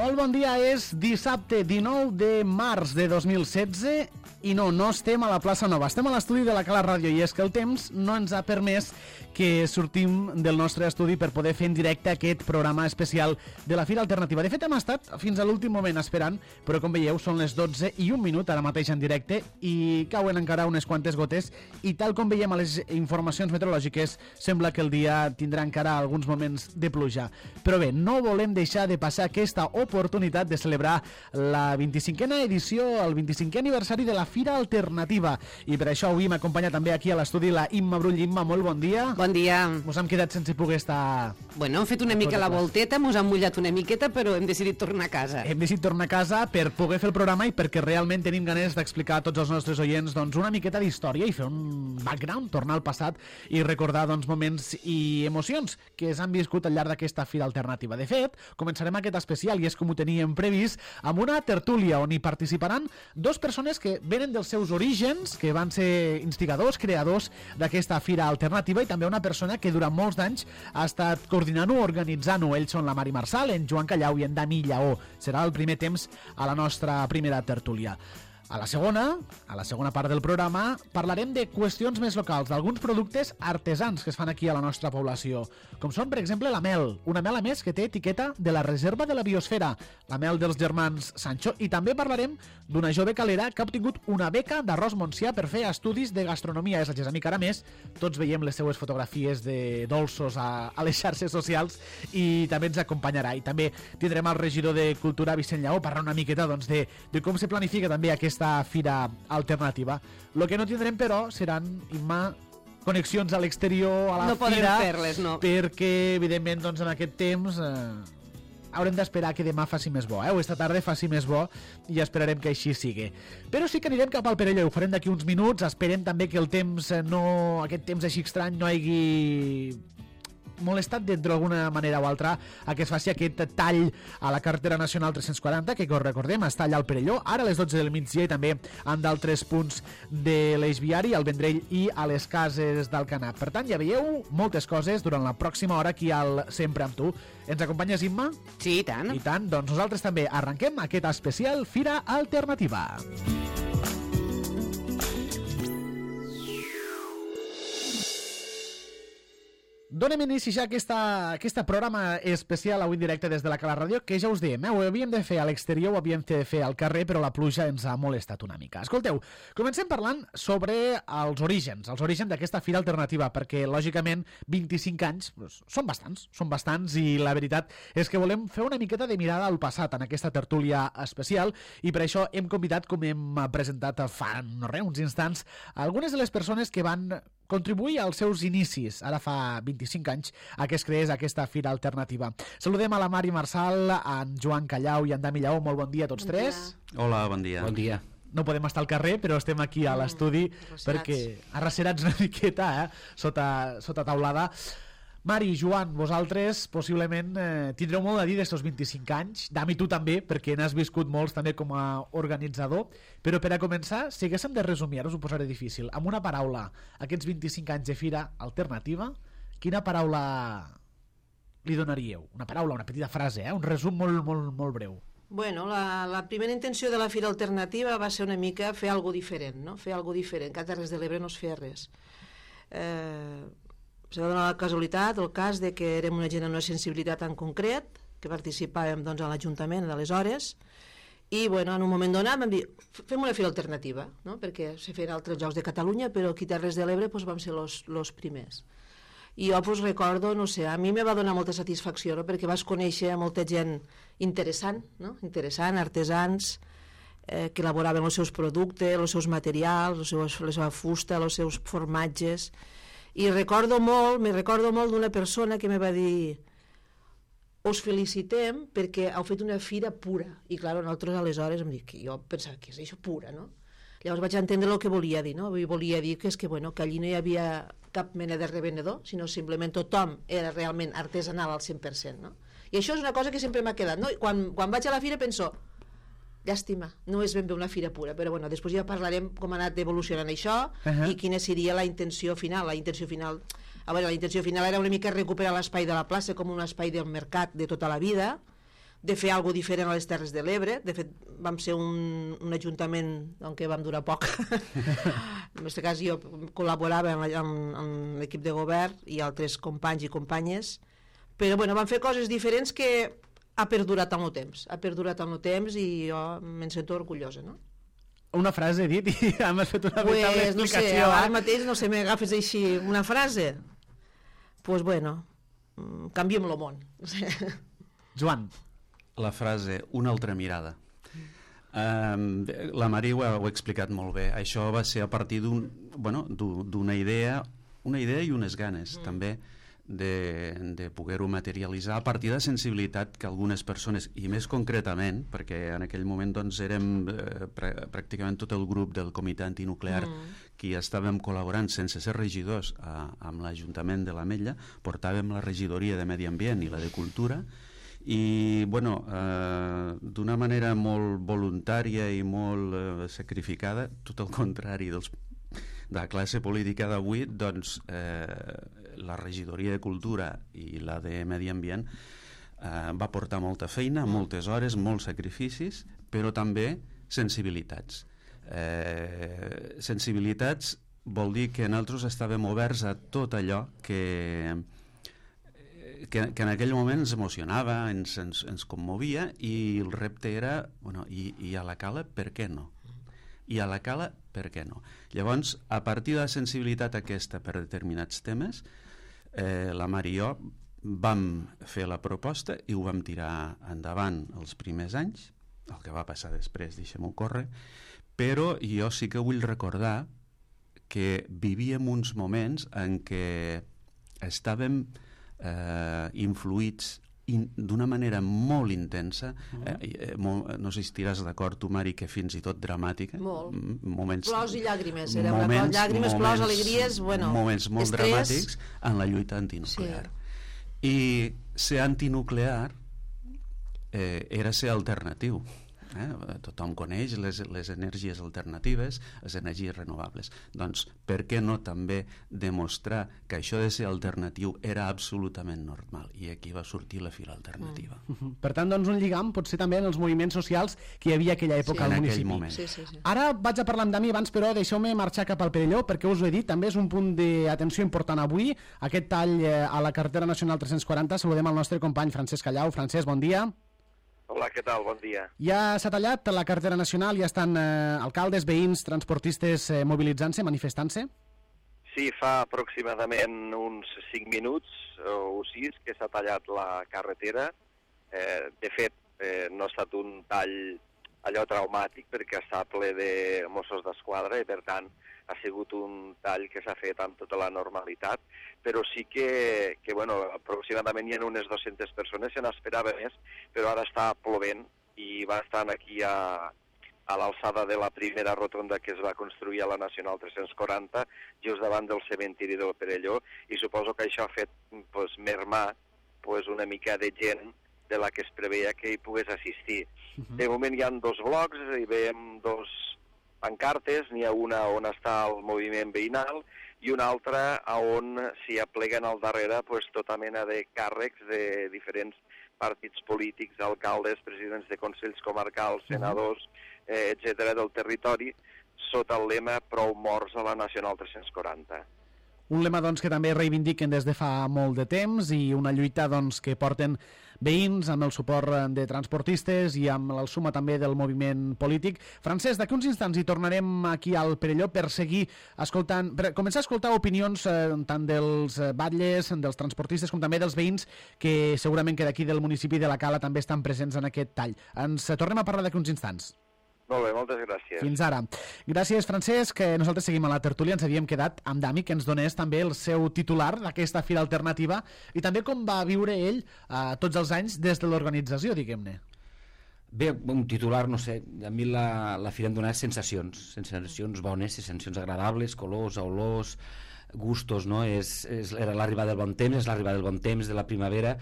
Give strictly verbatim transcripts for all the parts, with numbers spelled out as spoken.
Molt bon dia, és dissabte dinou de març de dos mil setze i no, no estem a la plaça Nova, estem a l'estudi de la Cala Ràdio i és que el temps no ens ha permès que sortim del nostre estudi per poder fer en directe aquest programa especial de la Fira Alternativa. De fet, hem estat fins a l'últim moment esperant, però com veieu són les dotze i un minut ara mateix en directe i cauen encara unes quantes gotes i tal com veiem a les informacions meteorològiques sembla que el dia tindrà encara alguns moments de pluja. Però bé, no volem deixar de passar aquesta oportunitat de celebrar la vint-i-cinquena edició, el vint-i-cinquè aniversari de la Fira Alternativa. I per això avui m'acompanya també aquí a l'estudi la Imma Brull. Imma, molt bon dia. Bon dia. Mos hem quedat sense poder estar... Bueno, hem fet una mica la volteta, mos han mullat una miqueta, però hem decidit tornar a casa. Hem decidit tornar a casa per poder fer el programa i perquè realment tenim ganes d'explicar a tots els nostres oients doncs, una miqueta d'història i fer un background, tornar al passat i recordar doncs, moments i emocions que s'han viscut al llarg d'aquesta Fira Alternativa. De fet, començarem aquest especial, i és com ho teníem previst, amb una tertúlia on hi participaran dos persones que venen dels seus orígens, que van ser instigadors, creadors d'aquesta Fira Alternativa, i també una persona que durant molts d'anys ha estat coordinant-ho, organitzant-ho. Ells són la Mari Marçal, en Joan Callau i en Dami Lleó. Serà el primer temps a la nostra primera tertúlia. A la segona, a la segona part del programa, parlarem de qüestions més locals, d'alguns productes artesans que es fan aquí a la nostra població, com són, per exemple, la mel, una mel a més que té etiqueta de la Reserva de la Biosfera, la mel dels germans Sancho, i també parlarem d'una jove calera que ha obtingut una beca d'Arròs Montsià per fer estudis de gastronomia. És la Gessamí Caramés, tots veiem les seues fotografies de dolços a, a les xarxes socials i també ens acompanyarà. I també tindrem el regidor de Cultura, Vicent Lleó, parlar una miqueta doncs, de, de com se planifica també aquesta Fira Alternativa. Lo que no tindrem, però, seran, Imma, connexions a l'exterior, a la no fira. No podrem fer-les, no. Perquè, evidentment, doncs, en aquest temps eh, haurem d'esperar que demà faci més bo, eh? o esta tarda faci més bo, i esperarem que així sigui. Però sí que anirem cap al Perelló, ho farem d'aquí uns minuts. Esperem també que el temps no, aquest temps així estrany no hagi molestat d'alguna manera o altra a que es faci aquest tall a la carretera nacional tres-cents quaranta, que com recordem està allà al Perelló, ara a les dotze del migdia, i també en d'altres punts de l'eix viari, al Vendrell i a les cases d'Alcanar. Per tant, ja veieu moltes coses durant la pròxima hora aquí al Sempre amb tu. Ens acompanyes, Imma? Sí, i tant. I tant, doncs nosaltres també arrenquem aquest especial Fira Alternativa. Donem inici ja a aquesta, aquesta programa especial avui en directe des de la Cala Ràdio, que ja us diem, eh? ho havíem de fer a l'exterior, ho havíem de fer al carrer, però la pluja ens ha molestat una mica. Escolteu, comencem parlant sobre els orígens, els orígens d'aquesta Fira Alternativa, perquè, lògicament, vint-i-cinc anys doncs, són bastants, són bastants, i la veritat és que volem fer una miqueta de mirada al passat en aquesta tertúlia especial, i per això hem convidat, com hem presentat fa no res, uns instants, algunes de les persones que van contribuir als seus inicis, ara fa vint-i-cinc anys, a que es creés aquesta Fira Alternativa. Saludem a la Mari Marçal, a en Joan Callau i en Dami Lleó. Molt bon dia a tots bon tres. Dia. Hola, bon dia. Bon dia. No podem estar al carrer, però estem aquí a l'estudi mm, perquè arrecerats una miqueta, eh? sota, sota taulada. Mari, Joan, vosaltres possiblement eh, tindreu molt a dir d'estos vint-i-cinc anys. Dami, tu també, perquè n'has viscut molts també com a organitzador. Però per a començar, si haguéssim de resumir, ara us ho posaré difícil, amb una paraula, aquests vint-i-cinc anys de Fira Alternativa, quina paraula li donaríeu? Una paraula, una petita frase, eh? un resum molt, molt, molt breu. Bueno, la, la primera intenció de la Fira Alternativa va ser una mica fer alguna diferent, no? Fer alguna diferent, que a Terres de l'Ebre no es feia res. Eh... Se va donar la casualitat, el cas de que érem una gent amb una sensibilitat en concret, que participàvem doncs, a l'Ajuntament d'aleshores, i bueno, en un moment donat vam dir, fem una fira alternativa, no? Perquè se feien altres llocs de Catalunya, però aquí a Terres de l'Ebre doncs, vam ser els primers. I jo pues, recordo, no sé, a mi me va donar molta satisfacció, no? Perquè vas conèixer molta gent interessant, no? interessant, artesans, eh, que elaboraven els seus productes, els seus materials, els seus, la seva fusta, els seus formatges. I recordo molt, me recordo molt d'una persona que me va dir, us felicitem perquè heu fet una fira pura. I clar, nosaltres aleshores em dic, jo pensava que és això pura, no? Llavors vaig entendre el que volia dir, no? Volia dir que és que, bueno, que allí no hi havia cap mena de revenedor, sinó simplement tothom era realment artesanal al cent per cent, no? I això és una cosa que sempre m'ha quedat, no? I quan, quan vaig a la fira penso, llàstima, no és ben bé una fira pura, però bueno, després ja parlarem com ha anat evolucionant això uh-huh. i quina seria la intenció final. La intenció final, a veure, la intenció final era una mica recuperar l'espai de la plaça com un espai del mercat de tota la vida, de fer alguna cosa diferent a les Terres de l'Ebre. De fet, vam ser un, un ajuntament en què vam durar poc. En aquest cas jo col·laborava amb, amb, amb l'equip de govern i altres companys i companyes, però bueno, vam fer coses diferents que ha perdurat en el temps, ha perdurat en el temps i jo me'n sento orgullosa, no? Una frase, he dit, i hem fet una pues, veritable no explicació. sé, ara mateix, no sé, m'agafes així una frase, doncs pues bueno, canviem el món. Joan. La frase, una altra mirada. Um, la Mari ho ha, ho ha explicat molt bé. Això va ser a partir d'un, bueno, d'una idea, una idea i unes ganes, mm. també, de, de poder-ho materialitzar a partir de sensibilitat que algunes persones, i més concretament, perquè en aquell moment doncs, érem eh, pr pràcticament tot el grup del comitè antinuclear mm. qui estàvem col·laborant sense ser regidors a, amb l'Ajuntament de l'Ametlla, portàvem la regidoria de Medi Ambient i la de Cultura, i bueno, eh, d'una manera molt voluntària i molt eh, sacrificada, tot el contrari dels, de la classe política d'avui, doncs eh, la regidoria de Cultura i la de Medi Ambient eh, va portar molta feina, moltes hores, molts sacrificis, però també sensibilitats. Eh, sensibilitats vol dir que nosaltres estàvem oberts a tot allò que Que, que en aquell moment ens emocionava, ens, ens, ens commovia, i el repte era, bueno, i, i a la cala, per què no? I a la cala, per què no? Llavors, a partir de la sensibilitat aquesta per determinats temes, eh, la Mar i jo vam fer la proposta i ho vam tirar endavant els primers anys, el que va passar després, deixem-ho córrer, però jo sí que vull recordar que vivíem uns moments en què estàvem Eh, influïts in, d'una manera molt intensa, eh, eh, molt, no sé si estiràs d'acord tu, Mari, que fins i tot dramàtica, molt. Moments, plors i llàgrimes, era moments, una cosa, llàgrimes, moments, plors, alegries, bueno, moments molt estrès. Dramàtics en la lluita antinuclear. Sí. I ser antinuclear eh, era ser alternatiu. Eh? Tothom coneix les, les energies alternatives, les energies renovables. Doncs per què no també demostrar que això de ser alternatiu era absolutament normal? I aquí va sortir la fila alternativa. Mm. Per tant, doncs, un lligam pot ser també en els moviments socials que hi havia aquella època sí. al en municipi. Moment. Sí, sí, sí. Ara vaig a parlar amb Dami, abans però deixeu-me marxar cap al Perelló, perquè us ho he dit, també és un punt d'atenció important avui, aquest tall a la carretera nacional tres-cents quaranta. Saludem al nostre company Francesc Callau. Francesc, bon dia. Hola, què tal? Bon dia. Ja s'ha tallat la carretera nacional, ja estan eh, alcaldes, veïns, transportistes eh, mobilitzant-se, manifestant-se? Sí, fa aproximadament uns cinc minuts o sis que s'ha tallat la carretera. Eh, de fet, eh, no ha estat un tall allò traumàtic perquè està ple de Mossos d'Esquadra i, per tant, ha sigut un tall que s'ha fet amb tota la normalitat, però sí que, que bueno, aproximadament hi ha unes dues-centes persones, se n'esperava més, però ara està plovent i va estar aquí a, a l'alçada de la primera rotonda que es va construir a la Nacional tres-cents quaranta, just davant del cementiri del Perelló, i suposo que això ha fet pues, mermar pues, una mica de gent de la que es preveia que hi pogués assistir. Uh-huh. De moment hi ha dos blocs, hi veiem dos pancartes, n'hi ha una on està el moviment veïnal i una altra on s'hi apleguen al darrere pues, tota mena de càrrecs de diferents partits polítics, alcaldes, presidents de consells comarcals, senadors, eh, etcètera del territori, sota el lema Prou morts a la Nacional tres-cents quaranta. Un lema doncs, que també reivindiquen des de fa molt de temps i una lluita doncs, que porten veïns amb el suport de transportistes i amb el suma també del moviment polític. Francesc, d'aquí uns instants hi tornarem aquí al Perelló per seguir escoltant, per començar a escoltar opinions eh, tant dels batlles, dels transportistes com també dels veïns que segurament que d'aquí del municipi de la Cala també estan presents en aquest tall. Ens tornem a parlar d'aquí uns instants. Molt bé, moltes gràcies. Fins ara. Gràcies, Francesc. Nosaltres seguim a la tertúlia. Ens havíem quedat amb Dami, que ens donés també el seu titular d'aquesta fira alternativa i també com va viure ell eh, tots els anys des de l'organització, diguem-ne. Bé, un titular, no sé, a mi la, la fira em dona sensacions, sensacions bones, sensacions agradables, colors, olors, gustos, no? És, és, era l'arribada del bon temps, és l'arribada del bon temps, de la primavera,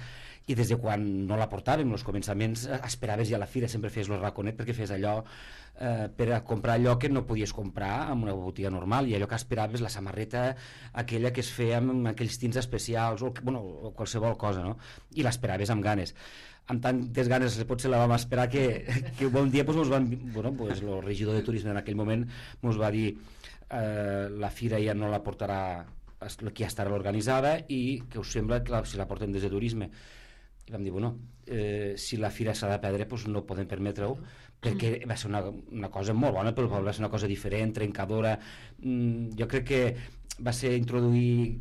i des de quan no la portàvem, els començaments, esperaves ja a la fira, sempre feies el raconet perquè fes allò eh, per a comprar allò que no podies comprar en una botiga normal, i allò que esperaves, la samarreta aquella que es feia amb aquells tints especials o, bueno, o qualsevol cosa, no? I l'esperaves amb ganes, amb tantes ganes potser la vam esperar que, que un bon dia pues, van, bueno, pues, el regidor de turisme en aquell moment ens va dir eh, la fira ja no la portarà qui ja estarà organitzada i que us sembla que la, si la portem des de turisme. I vam dir, bueno, eh, si la fira s'ha de perdre, doncs no podem permetre-ho, perquè va ser una, una cosa molt bona, però va ser una cosa diferent, trencadora. Mm, jo crec que va ser introduir,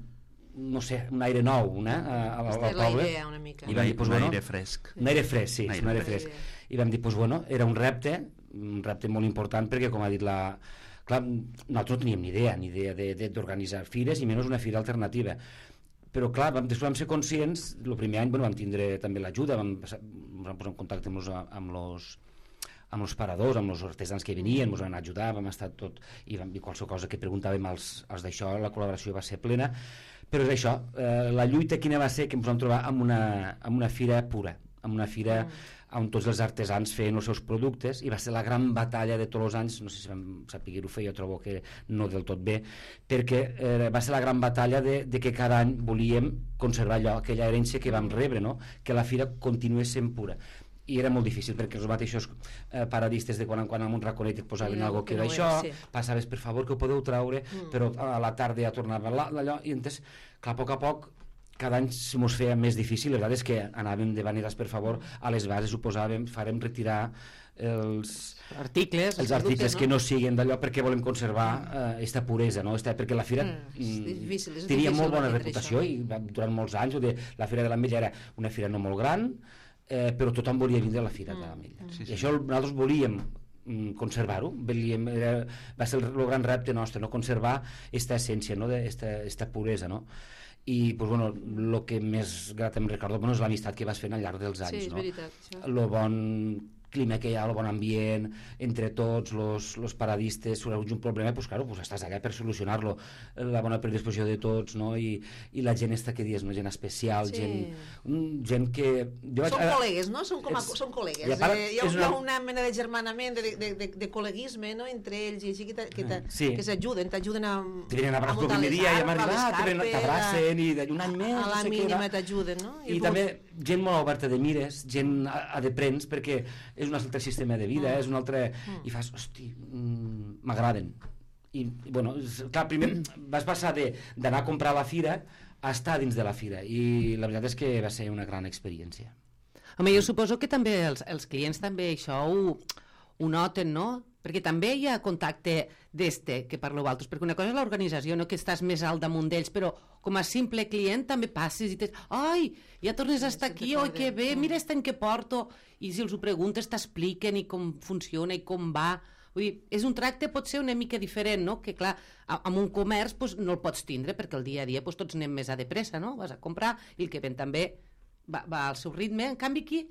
no sé, un aire nou, una, al, al poble. La idea, una mica. I vam dir, pues, un bueno, aire fresc. Un aire fresc, sí, aire un aire fresc. fresc. I vam dir, pues, bueno, era un repte, un repte molt important, perquè, com ha dit la... Clar, nosaltres no teníem ni idea, ni idea d'organitzar fires, i menys una fira alternativa. Però clar, vam, després vam ser conscients, el primer any bueno, vam tindre també l'ajuda, vam, vam posar en contacte amb els, amb los, amb els paradors, amb els artesans que venien, ens van ajudar, vam estar tot, i vam dir qualsevol cosa que preguntàvem als, als d'això, la col·laboració va ser plena, però és això, eh, la lluita quina va ser que ens vam trobar amb una, amb una fira pura, amb una fira mm. on tots els artesans feien els seus productes, i va ser la gran batalla de tots els anys, no sé si vam saber-ho fer, jo trobo que no del tot bé, perquè eh, va ser la gran batalla de, de que cada any volíem conservar allò, aquella herència que vam rebre, no? Que la fira continués sent pura. I era molt difícil, perquè els mateixos eh, paradistes de quan en quan en un raconet et posaven no, algo que era no això, sí. Passaves, per favor, que ho podeu traure, mm. però a la tarda ja tornava allò, i entes, clar, a poc a poc, cada any se'ns feia més difícil, la veritat és que anàvem de vaneres, per favor, a les bases ho posàvem, farem retirar els articles, els articles no? que no siguin d'allò perquè volem conservar aquesta eh, puresa, no? Esta, perquè la fira mm, és difícil, és tenia difícil molt bona reputació i durant molts anys de, la Fira de l'Ametlla era una fira no molt gran, eh, però tothom volia vindre a la Fira mm, de l'Ametlla. Sí, sí. I això nosaltres volíem conservar-ho, va ser el, el gran repte nostre, no? Conservar aquesta essència, no? Aquesta puresa, no? I pues, bueno, el que més grat em recordo bueno, és l'amistat que vas fent al llarg dels anys, sí, és no? veritat, això. El bon clima que hi ha, el bon ambient entre tots, los paradistes, si hi ha un problema, pues, claro, pues, estàs allà per solucionar-lo, la bona predisposició de tots, no? I, i la gent esta que dius, no? Gent especial, sí. gent, gent que... Jo vaig, són col·legues, no? Són, com a, són col·legues. Part, eh, hi ha una... una mena de germanament, de, de, de, de col·leguisme, no? Entre ells, i així que, que, sí. que s'ajuden, t'ajuden a... Te venen a abraçar el primer dia i hem arribat, t'abracen i un any més... A la no sé mínima t'ajuden, no? I, I també gent molt oberta de mires, gent a, a de prens, perquè és un altre sistema de vida, mm. és un altre... Mm. I fas, hosti, m'agraden. I, i, bueno, clar, primer vas passar d'anar a comprar a la fira a estar dins de la fira, i la veritat és que va ser una gran experiència. Home, jo suposo que també els, els clients també això ho, ho noten, no? Perquè també hi ha contacte d'este que parleu altres, perquè una cosa és l'organització, no? Que estàs més alt damunt d'ells, però com a simple client també passes i tens, ai, ja tornes a estar aquí, oi, que bé, mira este any que porto, i si els ho preguntes t'expliquen i com funciona i com va. Vull dir, és un tracte pot ser una mica diferent, no? Que clar, amb un comerç pues, no el pots tindre, perquè el dia a dia pues, tots anem més a de pressa, no? Vas a comprar i el que ven també va, va al seu ritme, en canvi aquí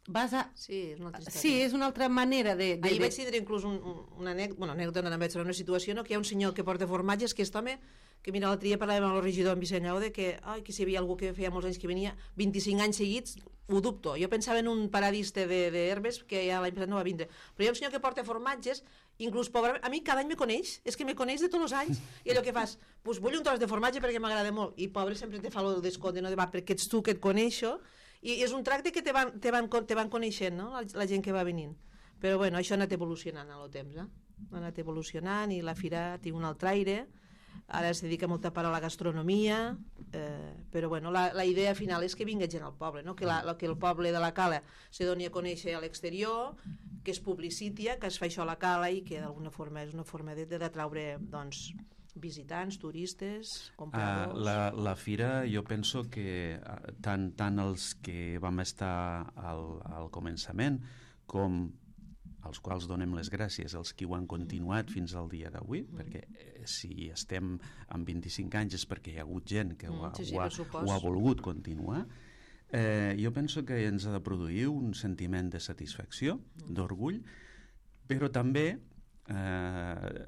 vas a... Sí, és una altra història. Sí, és una altra manera de... de Ahir vaig tindre inclús un, una anècdota, bueno, anècdota no vaig trobar una situació, no? Que hi ha un senyor que porta formatges, que aquest home, que mira, l'altre dia parlàvem amb el regidor en Vicent Llaude, que, ai, que si hi havia algú que feia molts anys que venia, vint-i-cinc anys seguits, ho dubto. Jo pensava en un paradista d'herbes que ja l'any passat no va vindre. Però hi ha un senyor que porta formatges, inclús pobre, a mi cada any me coneix, és que me coneix de tots els anys, i allò que fas, pues vull un tros de formatge perquè m'agrada molt, i pobre sempre te fa el descompte, no? De va, perquè ets tu que et coneixo, i és un tracte que te van, te van, te van coneixent, no? La, la gent que va venint. Però bueno, això ha anat evolucionant en el temps, eh? Ha anat evolucionant i la fira té un altre aire, ara es dedica molta part a la gastronomia, eh, però bueno, la, la idea final és que vingui gent al poble, no? Que, la, que el poble de la Cala se doni a conèixer a l'exterior, que es publicitia, que es fa això a la Cala i que d'alguna forma és una forma d'atraure, doncs, visitants, turistes, compradors... Uh, la, la fira, jo penso que uh, tant, tant els que vam estar al, al començament com als quals donem les gràcies, els que ho han continuat fins al dia d'avui, mm. perquè eh, si estem amb vint-i-cinc anys és perquè hi ha hagut gent que ho ha, sí, sí, ho ha, ho ha volgut continuar. Eh, jo penso que ens ha de produir un sentiment de satisfacció, mm. d'orgull, però també eh,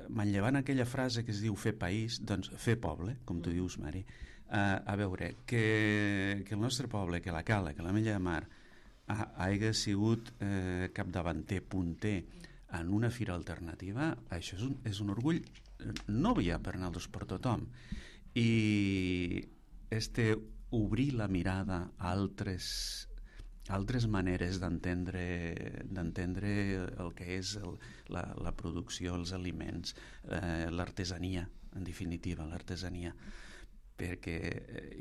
manllevant aquella frase que es diu fer país, doncs fer poble, com tu dius, Mari. Uh, a veure, que, que el nostre poble, que la Cala, que l'Ametlla de Mar, ha, hagi sigut eh, capdavanter, punter en una fira alternativa, això és un, és un orgull no ja per nosaltres, per tothom. I este obrir la mirada a altres, altres maneres d'entendre d'entendre el que és el, la, la producció, els aliments, eh, l'artesania, en definitiva, l'artesania. Perquè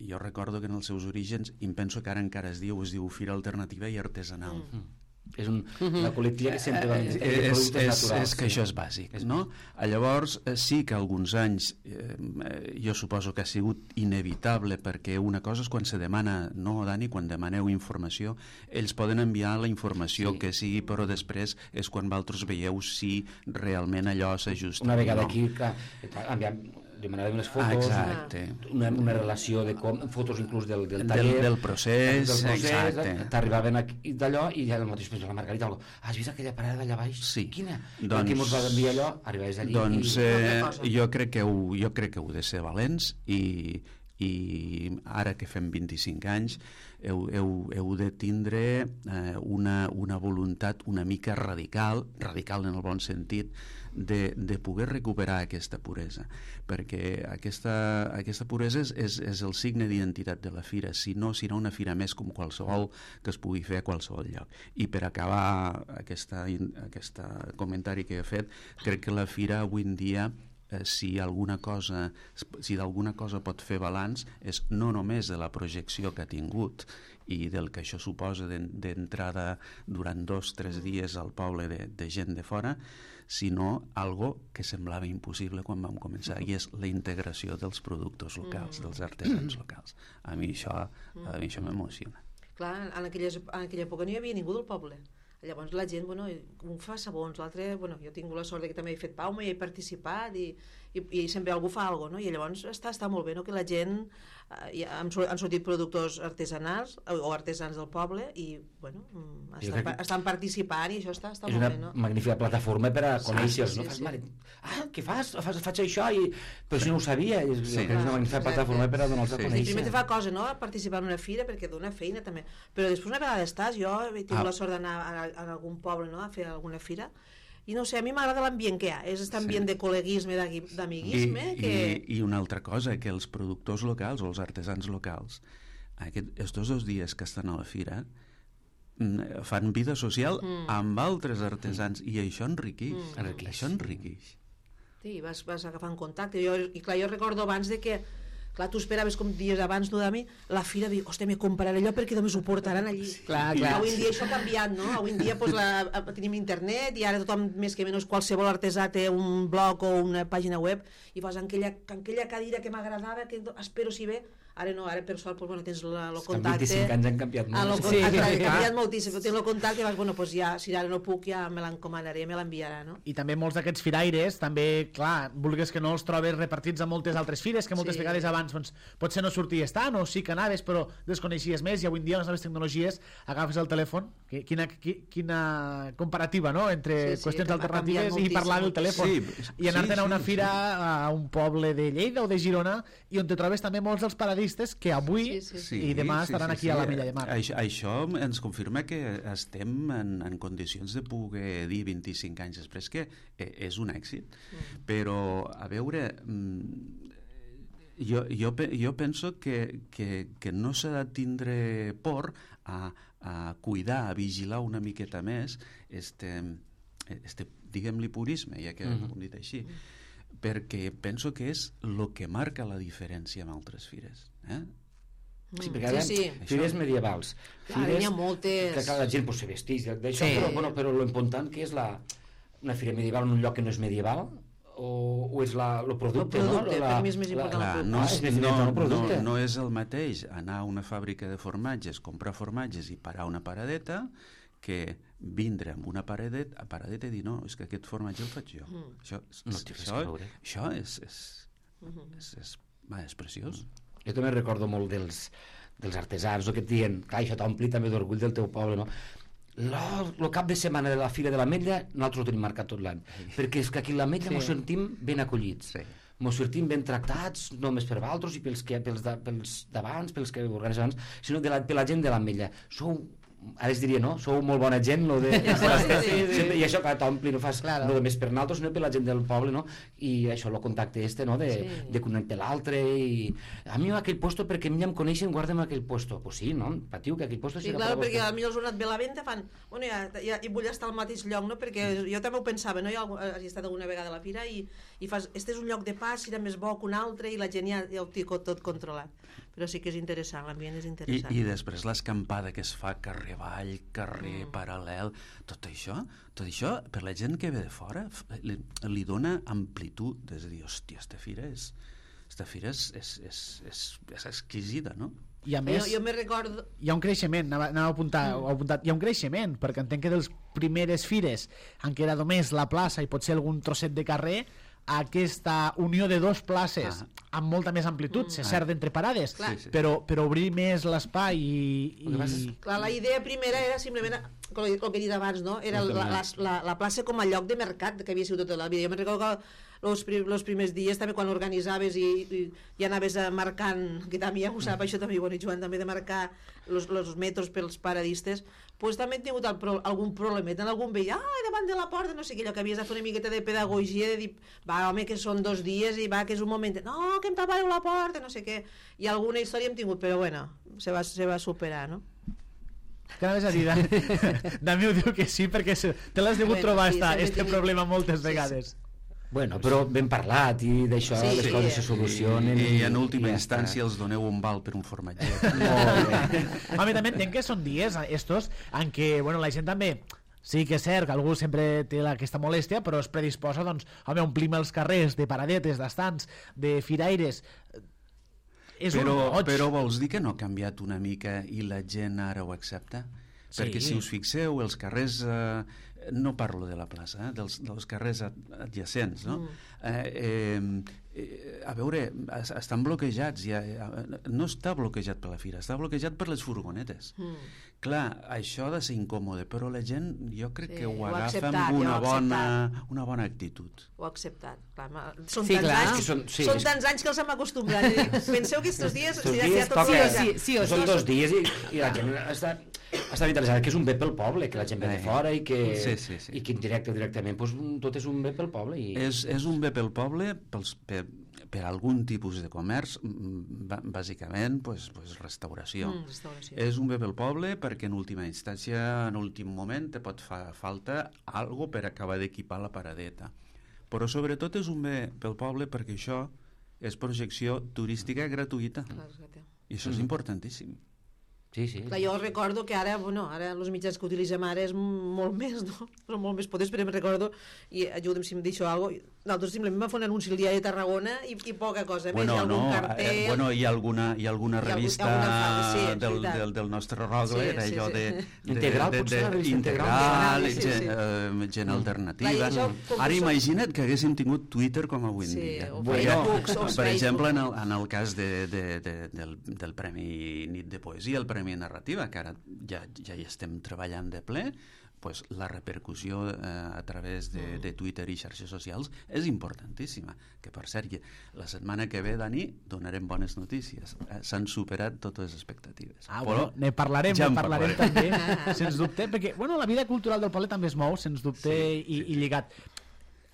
jo recordo que en els seus orígens, i em penso que ara encara es diu, es diu Fira Alternativa i Artesanal. Mm. És un, una col·lectiva que sempre va eh, eh, és, és, és que això és bàsic, no? Llavors sí que alguns anys eh, jo suposo que ha sigut inevitable, perquè una cosa és quan se demana, no, Dani, quan demaneu informació, ells poden enviar la informació sí. que sigui, però després és quan vosaltres veieu si realment allò s'ajusta. Una vegada no. aquí, clar, enviam demanàvem unes fotos, ah, una, una relació de com, fotos inclús del, del taller, del, del procés, del procés exacte. T'arribaven d'allò i ja el mateix, la Margarita, algo, has vist aquella parada d'allà baix? Sí. Quina? Doncs, qui mos va enviar allò? Arribaves allí doncs, i... Eh, jo, crec que heu, jo crec que heu de ser valents i, i ara que fem vint-i-cinc anys heu, heu, heu de tindre eh, una, una voluntat una mica radical, radical en el bon sentit, de, de poder recuperar aquesta puresa, perquè aquesta, aquesta puresa és, és, és el signe d'identitat de la fira, si no serà una fira més com qualsevol que es pugui fer a qualsevol lloc. I per acabar aquesta, aquesta comentari que he fet, crec que la fira avui en dia eh, si alguna cosa si d'alguna cosa pot fer balanç és no només de la projecció que ha tingut i del que això suposa d'entrada durant dos o tres dies al poble de, de gent de fora, sinó algo que semblava impossible quan vam començar, i és la integració dels productors locals, dels artesans locals. A mi això, a mi això m'emociona. Clar, en aquella, en aquella època no hi havia ningú del poble. Llavors la gent, bueno, un fa sabons, l'altre, bueno, jo he tingut la sort de que també he fet pauma i he participat i, i, i sempre algú fa alguna cosa, no? I llavors està, està molt bé, no?, que la gent, eh, han, han sortit productors artesanals o artesans del poble i, bueno, estan, estan participant i això està, està molt bé, no? És una magnífica plataforma per a conèixer-los, no? Sí, Fas, sí. mare, ah, què fas? fas? Faig això, i... però si no ho sabia, és, Sí. és una magnífica plataforma per a donar-los a Sí. conèixer. Primer te fa cosa, no?, participar en una fira perquè dona feina també, però després una vegada estàs, jo he tingut Ah. la sort d'anar a, a algun poble, no?, a fer alguna fira i no sé, a mi m'agrada l'ambient que hi ha, és aquest ambient Sí. de col·leguisme, d'amiguisme I, que... i, i una altra cosa, que els productors locals o els artesans locals aquest, estos dos dies que estan a la fira mm, fan vida social mm. amb altres artesans mm. i això enriqueix, Mm. enriqueix. Això enriqueix. Sí, vas, vas agafant contacte. Jo, i clar, jo recordo abans de que clar, tu esperaves com dies abans, no, Dami, la fira, dic, hòstia, me compraré allò perquè només ho portaran allí. Sí. Clar, clar. Avui en dia això ha canviat, no? Avui en dia pues, la, tenim internet i ara tothom, més que menys, qualsevol artesà té un blog o una pàgina web i vas en aquella, en aquella cadira que m'agradava, que espero si ve, ara no, ara per sort pues, bueno, tens el contacte. vint-i-cinc anys han canviat molt. Ah, lo, Sí. ha, ha canviat moltíssim, però tens el contacte i vas, bueno, pues ja, si ara no puc, ja me l'encomanaré, me l'enviarà, no? I també molts d'aquests firaires, també, clar, vulgues que no els trobes repartits a moltes altres fires, que moltes Sí. vegades abans doncs, potser no sorties tant, o sí que anaves, però desconeixies més, i avui en dia les noves tecnologies agafes el telèfon, que, quina, qui, quina comparativa, no?, entre Sí, sí, qüestions ha alternatives canviat i parlar del telèfon. Sí, I anar-te'n sí, a una sí, fira sí. a un poble de Lleida o de Girona, i on te trobes també molts dels paradistes que avui Sí, sí. Sí, i demà sí, estaran sí, aquí sí. a la Milla de Mar. Això, això ens confirma que estem en, en condicions de poder dir vint-i-cinc anys després que eh, és un èxit. Mm. Però, a veure, jo, jo, jo penso que, que, que no s'ha de tindre por a, a cuidar, a vigilar una miqueta més este, este diguem-li purisme, ja que mm-hmm. ho hem dit així, perquè penso que és el que marca la diferència amb altres fires. Eh? Sí, perquè ara, Sí, sí. fires medievals. Clar, n'hi ha moltes. Que clar, la gent pues, se vesteix d'això, Sí. però, bueno, però lo important que és la, una fira medieval en un lloc que no és medieval, o, o és la, lo producte, El producte, no? La, per mi és més important Clar, el no, Ah, és, és més no, important el no, producte. no és el mateix anar a una fàbrica de formatges, comprar formatges i parar una paradeta, que vindre amb una paradeta, a paradeta i dir, no, és que aquest formatge el faig jo. Mm. Això, No té res això, a veure. això és, és, Mm-hmm. és, és, va, és preciós. Jo també recordo molt dels, dels artesans, no, que et diuen, clar, això t'ompli també d'orgull del teu poble, no? El cap de setmana de la Fira de l'Ametlla nosaltres ho tenim marcat tot l'any, perquè és que aquí a l'Ametlla Sí. ens sentim ben acollits. Sí. mos sortim ben tractats, no només per vosaltres i pels que pels d'abans, pels que organitzem abans, sinó de la, per la gent de l'Ametlla. Sou, ara es diria, no? Sou molt bona gent, no? De, sí, sí, sí, sí. I això, clar, t'ompli, no fas claro. No només per nosaltres, sinó per la gent del poble, no? I això, el contacte este, no? De, sí. de connectar l'altre i... A mi aquell puesto, perquè em ja em coneixen, guardem aquell puesto. Pues sí, no? Patiu, que aquell puesto... Sí, clar, perquè a mi els han anat bé la venda, fan... Bueno, ja, ja, i vull estar al mateix lloc, no? Perquè jo també ho pensava, no? Jo he estat alguna vegada a la fira i, i fas... Este és un lloc de pas, era més bo que un altre i la gent ja, ja ho té tot controlat. Però sí que és interessant, l'ambient és interessant. I, i després l'escampada que es fa carrer avall, carrer mm. paral·lel, tot això, tot això, per la gent que ve de fora, li, li dona amplitud, és a dir, hòstia, esta fira és, esta fira és, és, és, és, és exquisida, no? I a més, jo, jo me recordo... hi ha un creixement, anava, anava a apuntar, mm. apuntat, hi ha un creixement, perquè entenc que dels primeres fires en què era només la plaça i potser algun trosset de carrer, aquesta unió de dos places ah. amb molta més amplitud, mm. és cert, d'entre parades, sí, sí. Però, però obrir més l'espai i... i... Clar, la idea primera era simplement el que he dit abans, no? Era la, la, la, la plaça com a lloc de mercat que havia sigut tota la vida. Jo me'n recordo que els prim, primers dies també quan organitzaves i, i, i anaves marcant, que també ja ho sap, això també, bueno, Joan, també de marcar els metros pels paradistes, pues també he tingut el pro, algun problemet en algun veí, ah, davant de la porta, no sé què, allò que havies de fer una miqueta de pedagogia, de dir, va, home, que són dos dies i va, que és un moment, no, que em tapareu la porta, no sé què, i alguna història hem tingut, però bueno, se va, se va superar, no? Que anaves a dir, Dami ho diu que sí, perquè te l'has degut bueno, trobar sí, esta, este tinc... problema moltes vegades. Sí, sí. Bueno, però ben parlat i d'això sí, les coses sí. se solucionen i, i en última ja instància està. Els doneu un val per un formatget. Home, també entenc que són dies estos en què, bueno, la gent també sí que és cert que algú sempre té aquesta molèstia, però es predisposa, doncs, home, omplim els carrers de paradetes, d'estants, de firaires. És però, un goig. Però vols dir que no ha canviat una mica i la gent ara ho accepta? Sí. Perquè si us fixeu, els carrers... Eh, no parlo de la plaça, eh, dels, dels carrers adjacents, no? Mm. Eh, eh, a veure, estan bloquejats, ja, no està bloquejat per la fira, està bloquejat per les furgonetes. Mm. Clar, això ha de ser incòmode, però la gent jo crec sí, que ho, ho agafa acceptat, amb una bona, una bona actitud. Ho ha acceptat. Clar, són, sí, tants clar. Anys, són, sí, són tants anys que els hem acostumbrat. Penseu que estos dies... Estos si dies tot toca, sí, sí, o són dos dies i, i la gent està... Està interessant, que és un bé pel poble, que la gent ve de fora i que, sí, sí, sí. i que indirecte o directament pues, tot és un bé pel poble. I... És, és un bé pel poble pels, per, per algun tipus de comerç, bàsicament pues, pues restauració. Mm, restauració. És un bé pel poble perquè en última instància, en últim moment, te pot fer falta algo per acabar d'equipar la paradeta. Però sobretot és un bé pel poble perquè això és projecció turística gratuïta. Clar, i això és mm. importantíssim. Sí, sí. Clar, jo recordo que ara, bueno, ara els mitjans que utilitzem ara és molt més, no? Són molt més potents, però em recordo, i ajuda'm si em deixo alguna cosa, nosaltres simplement vam fer un anunci el diari de Tarragona i, i poca cosa més, bueno, hi ha algun no, cartell... Eh, bueno, hi ha alguna, hi ha alguna revista hi ha alguna, sí, del, del, del nostre Rogle, sí, sí, allò sí. de, de... Integral, de, potser, de, la revista integral, integral, sí, gent, sí. Uh, gent alternativa. Clar, això, ara imagina't que haguéssim tingut Twitter com avui en sí, dia. o Bueno, Facebooks, o per exemple, en el, Facebook. en el cas de, de, de, del, del Premi Nit de Poesia, el Premi Narrativa, que ara ja, ja hi estem treballant de ple, pues, la repercussió eh, a través de, de Twitter i xarxes socials és importantíssima. Que, per cert, la setmana que ve, Dani, donarem bones notícies. Eh, S'han superat totes les expectatives. Ah, Però bueno, ne parlarem, ja ne parlarem parlarem. també, sens dubte, perquè, bueno, la vida cultural del poble també es mou, sens dubte, sí, i, sí. i lligat.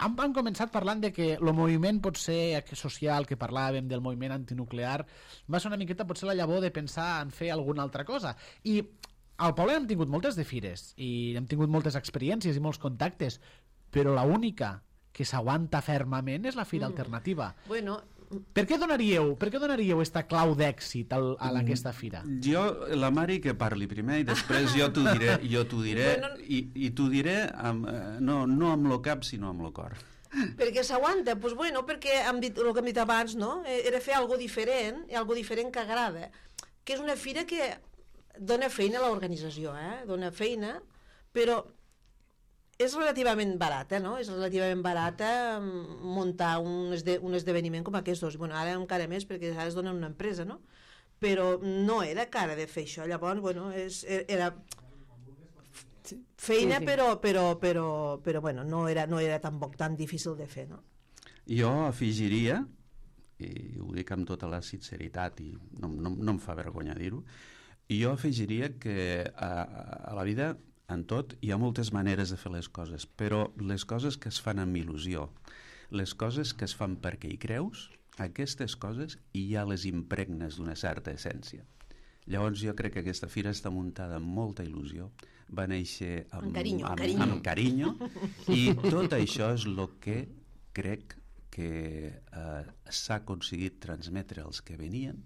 Han, han començat parlant de que el moviment pot ser social, que parlàvem del moviment antinuclear, va ser una miqueta potser la llavor de pensar en fer alguna altra cosa. I al poble hem tingut moltes de fires i hem tingut moltes experiències i molts contactes, però la única que s'aguanta fermament és la fira mm. alternativa. Bueno, per què donaríeu, per què donaríeu esta clau d'èxit a aquesta fira? Jo, la Mari que parli primer i després jo t'ho diré, jo t'ho diré bueno, i, i t'ho diré amb, no, no amb lo cap sinó amb lo cor. Perquè s'aguanta? Doncs pues bueno, perquè hem dit, el que hem dit abans, no? Era fer algo diferent, i algo diferent que agrada, que és una fira que dona feina a l'organització, eh? Dona feina, però és relativament barata, no? És relativament barata muntar un, esde, un esdeveniment com aquests dos. Bueno, ara encara més, perquè ara es dona una empresa, no? Però no era cara de fer això. Llavors, bueno, és, era feina, sí, sí. Però, però, però, però bueno, no era, no era tampoc tan difícil de fer, no? Jo afegiria, i ho dic amb tota la sinceritat i no, no, no em fa vergonya dir-ho, jo afegiria que a, a la vida, en tot, hi ha moltes maneres de fer les coses, però les coses que es fan amb il·lusió, les coses que es fan perquè hi creus, aquestes coses ja les impregnes d'una certa essència. Llavors jo crec que aquesta fira està muntada amb molta il·lusió, va néixer amb, amb carinyo, amb, carinyo. amb carinyo i tot això és el que crec que eh, s'ha aconseguit transmetre als que venien.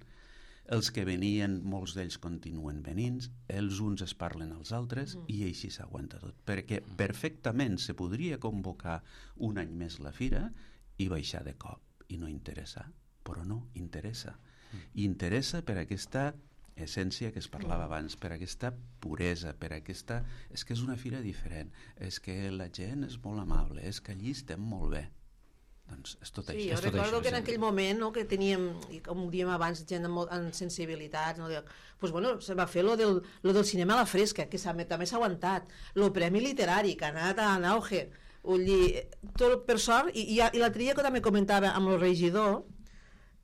Els que venien, molts d'ells continuen venint, els uns es parlen als altres mm. i així s'aguanta tot, perquè perfectament se podria convocar un any més la fira i baixar de cop i no interessar, però no, interessa. Mm. Interessa per aquesta essència que es parlava abans, per aquesta puresa, per aquesta... És que és una fira diferent, és que la gent és molt amable, és que allí estem molt bé. Doncs és tot sí, això. jo tot recordo això, que en aquell moment, no, que teníem, i com ho diem abans, gent amb, amb sensibilitat, no, pues, bueno, se va fer lo del, lo del cinema a la fresca, que també s'ha aguantat, lo premi literari, que ha anat en auge, tot per sort, i, i, i l'altre dia que també comentava amb el regidor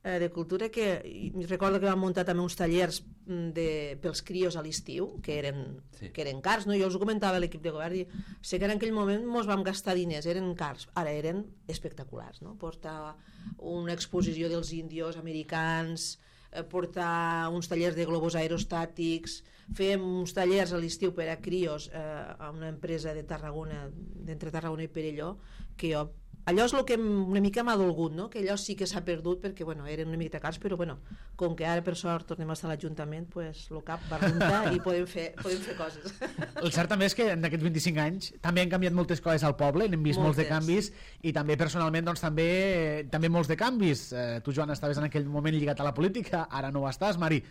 eh, de Cultura, que recordo que van muntar també uns tallers de, pels crios a l'estiu, que eren, sí. que eren cars, no? Jo els ho comentava a l'equip de govern, i sé que en aquell moment mos vam gastar diners, eren cars, ara eren espectaculars, no? Portar una exposició dels índios americans, eh, portar uns tallers de globus aerostàtics, fèiem uns tallers a l'estiu per a crios eh, a una empresa de Tarragona, d'entre Tarragona i Perelló, que jo allò és el que una mica m'ha dolgut, no? Que allò sí que s'ha perdut perquè bueno, eren una mica cars, però bueno, com que ara per sort tornem a estar a l'Ajuntament, pues, el cap va rentar i podem fer, podem fer coses. El cert també és que en aquests vint-i-cinc anys també han canviat moltes coses al poble, n'hem vist moltes. molts de canvis i també personalment doncs, també, també molts de canvis. Eh, tu, Joan, estaves en aquell moment lligat a la política, ara no ho estàs, Mari.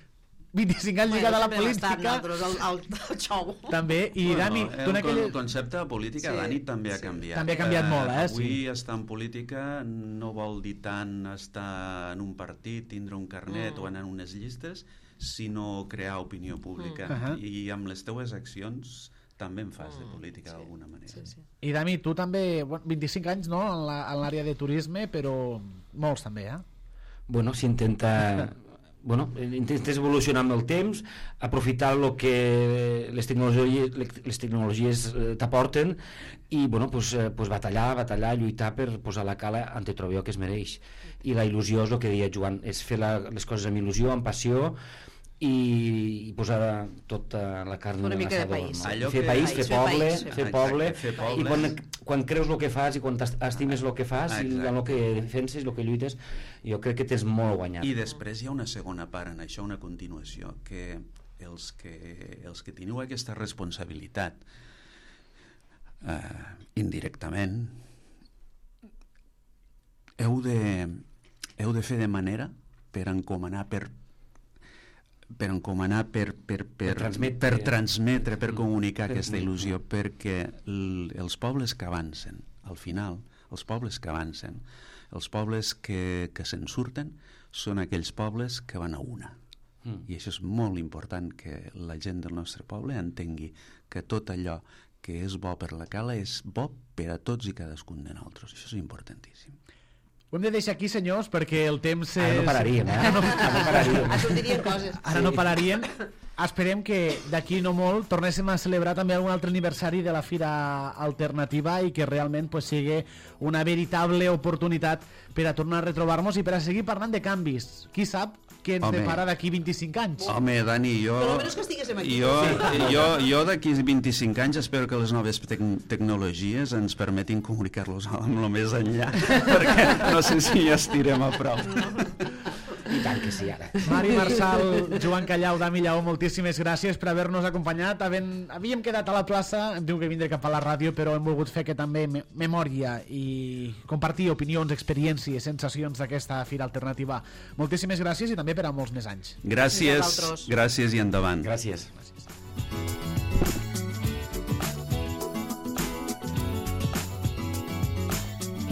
vint-i-cinc anys bueno, lligat a la política. Nosaltres, el, el, el xou. També, i bueno, Dani... El, tu en aquell... el concepte de política, sí, Dani, també ha sí. canviat. També ha canviat molt, eh? Avui sí. estar en política no vol dir tant estar en un partit, tindre un carnet mm. o anar en unes llistes, sinó crear opinió pública. Mm. Uh-huh. I amb les teues accions també en fas mm. de política sí. d'alguna manera. Sí, sí. I Dani, tu també, bueno, vint-i-cinc anys no, en l'àrea de turisme, però molts també, eh? Bueno, s'intenta... Bueno, intentes evolucionar amb el temps, aprofitar el que les tecnologies, les tecnologies t'aporten i bueno, pues, pues batallar, batallar, lluitar per posar la cala on te trobi el que es mereix. I la il·lusió és el que deia Joan, és fer la, les coses amb il·lusió, amb passió i, i posar tota la carn una en mica de l'assador. país. No? Allò fer que- país, fer Fer poble, país, fer fer país. poble, Exacte, fer pobles. i quan, quan creus el que fas i quan estimes el que fas i Exacte. en el que defenses, el que lluites, jo crec que tens molt guanyat. I després hi ha una segona part en això, una continuació, que els que, els que teniu aquesta responsabilitat eh, indirectament heu de, heu de fer de manera per encomanar, per per encomanar, per, per, per, Per transmetre. per, transmetre, per comunicar Per aquesta comunicar. il·lusió, perquè l, els pobles que avancen, al final, els pobles que avancen, els pobles que, que se'n surten, són aquells pobles que van a una. Mm. I això és molt important, que la gent del nostre poble entengui que tot allò que és bo per la cala és bo per a tots i cadascun de nosaltres. Això és importantíssim. Ho hem de deixar aquí, senyors, perquè el temps és... Ara no pararíem, eh? Ara no, ara no pararíem. Ah, sortirien coses. Ara no pararien. Esperem que d'aquí no molt tornéssim a celebrar també algun altre aniversari de la Fira Alternativa i que realment pues, sigui una veritable oportunitat per a tornar a retrobar-nos i per a seguir parlant de canvis. Qui sap què ens Home. depara d'aquí vint-i-cinc anys? Home, Dani, jo... Però almenys que estiguéssim aquí. Jo, jo, jo d'aquí vint-i-cinc anys espero que les noves tec tecnologies ens permetin comunicar-los amb el més enllà, perquè no sé si ja estirem a prop. I tant que sí, ara. Mari Marçal, Joan Callau, Dami Lleó, moltíssimes gràcies per haver-nos acompanyat. Havent, havíem quedat a la plaça, hem tingut que vindre cap a la ràdio, però hem volgut fer que també me memòria i compartir opinions, experiències, sensacions d'aquesta Fira Alternativa. Moltíssimes gràcies i també per a molts més anys. Gràcies, Vosaltres. gràcies i endavant. Gràcies.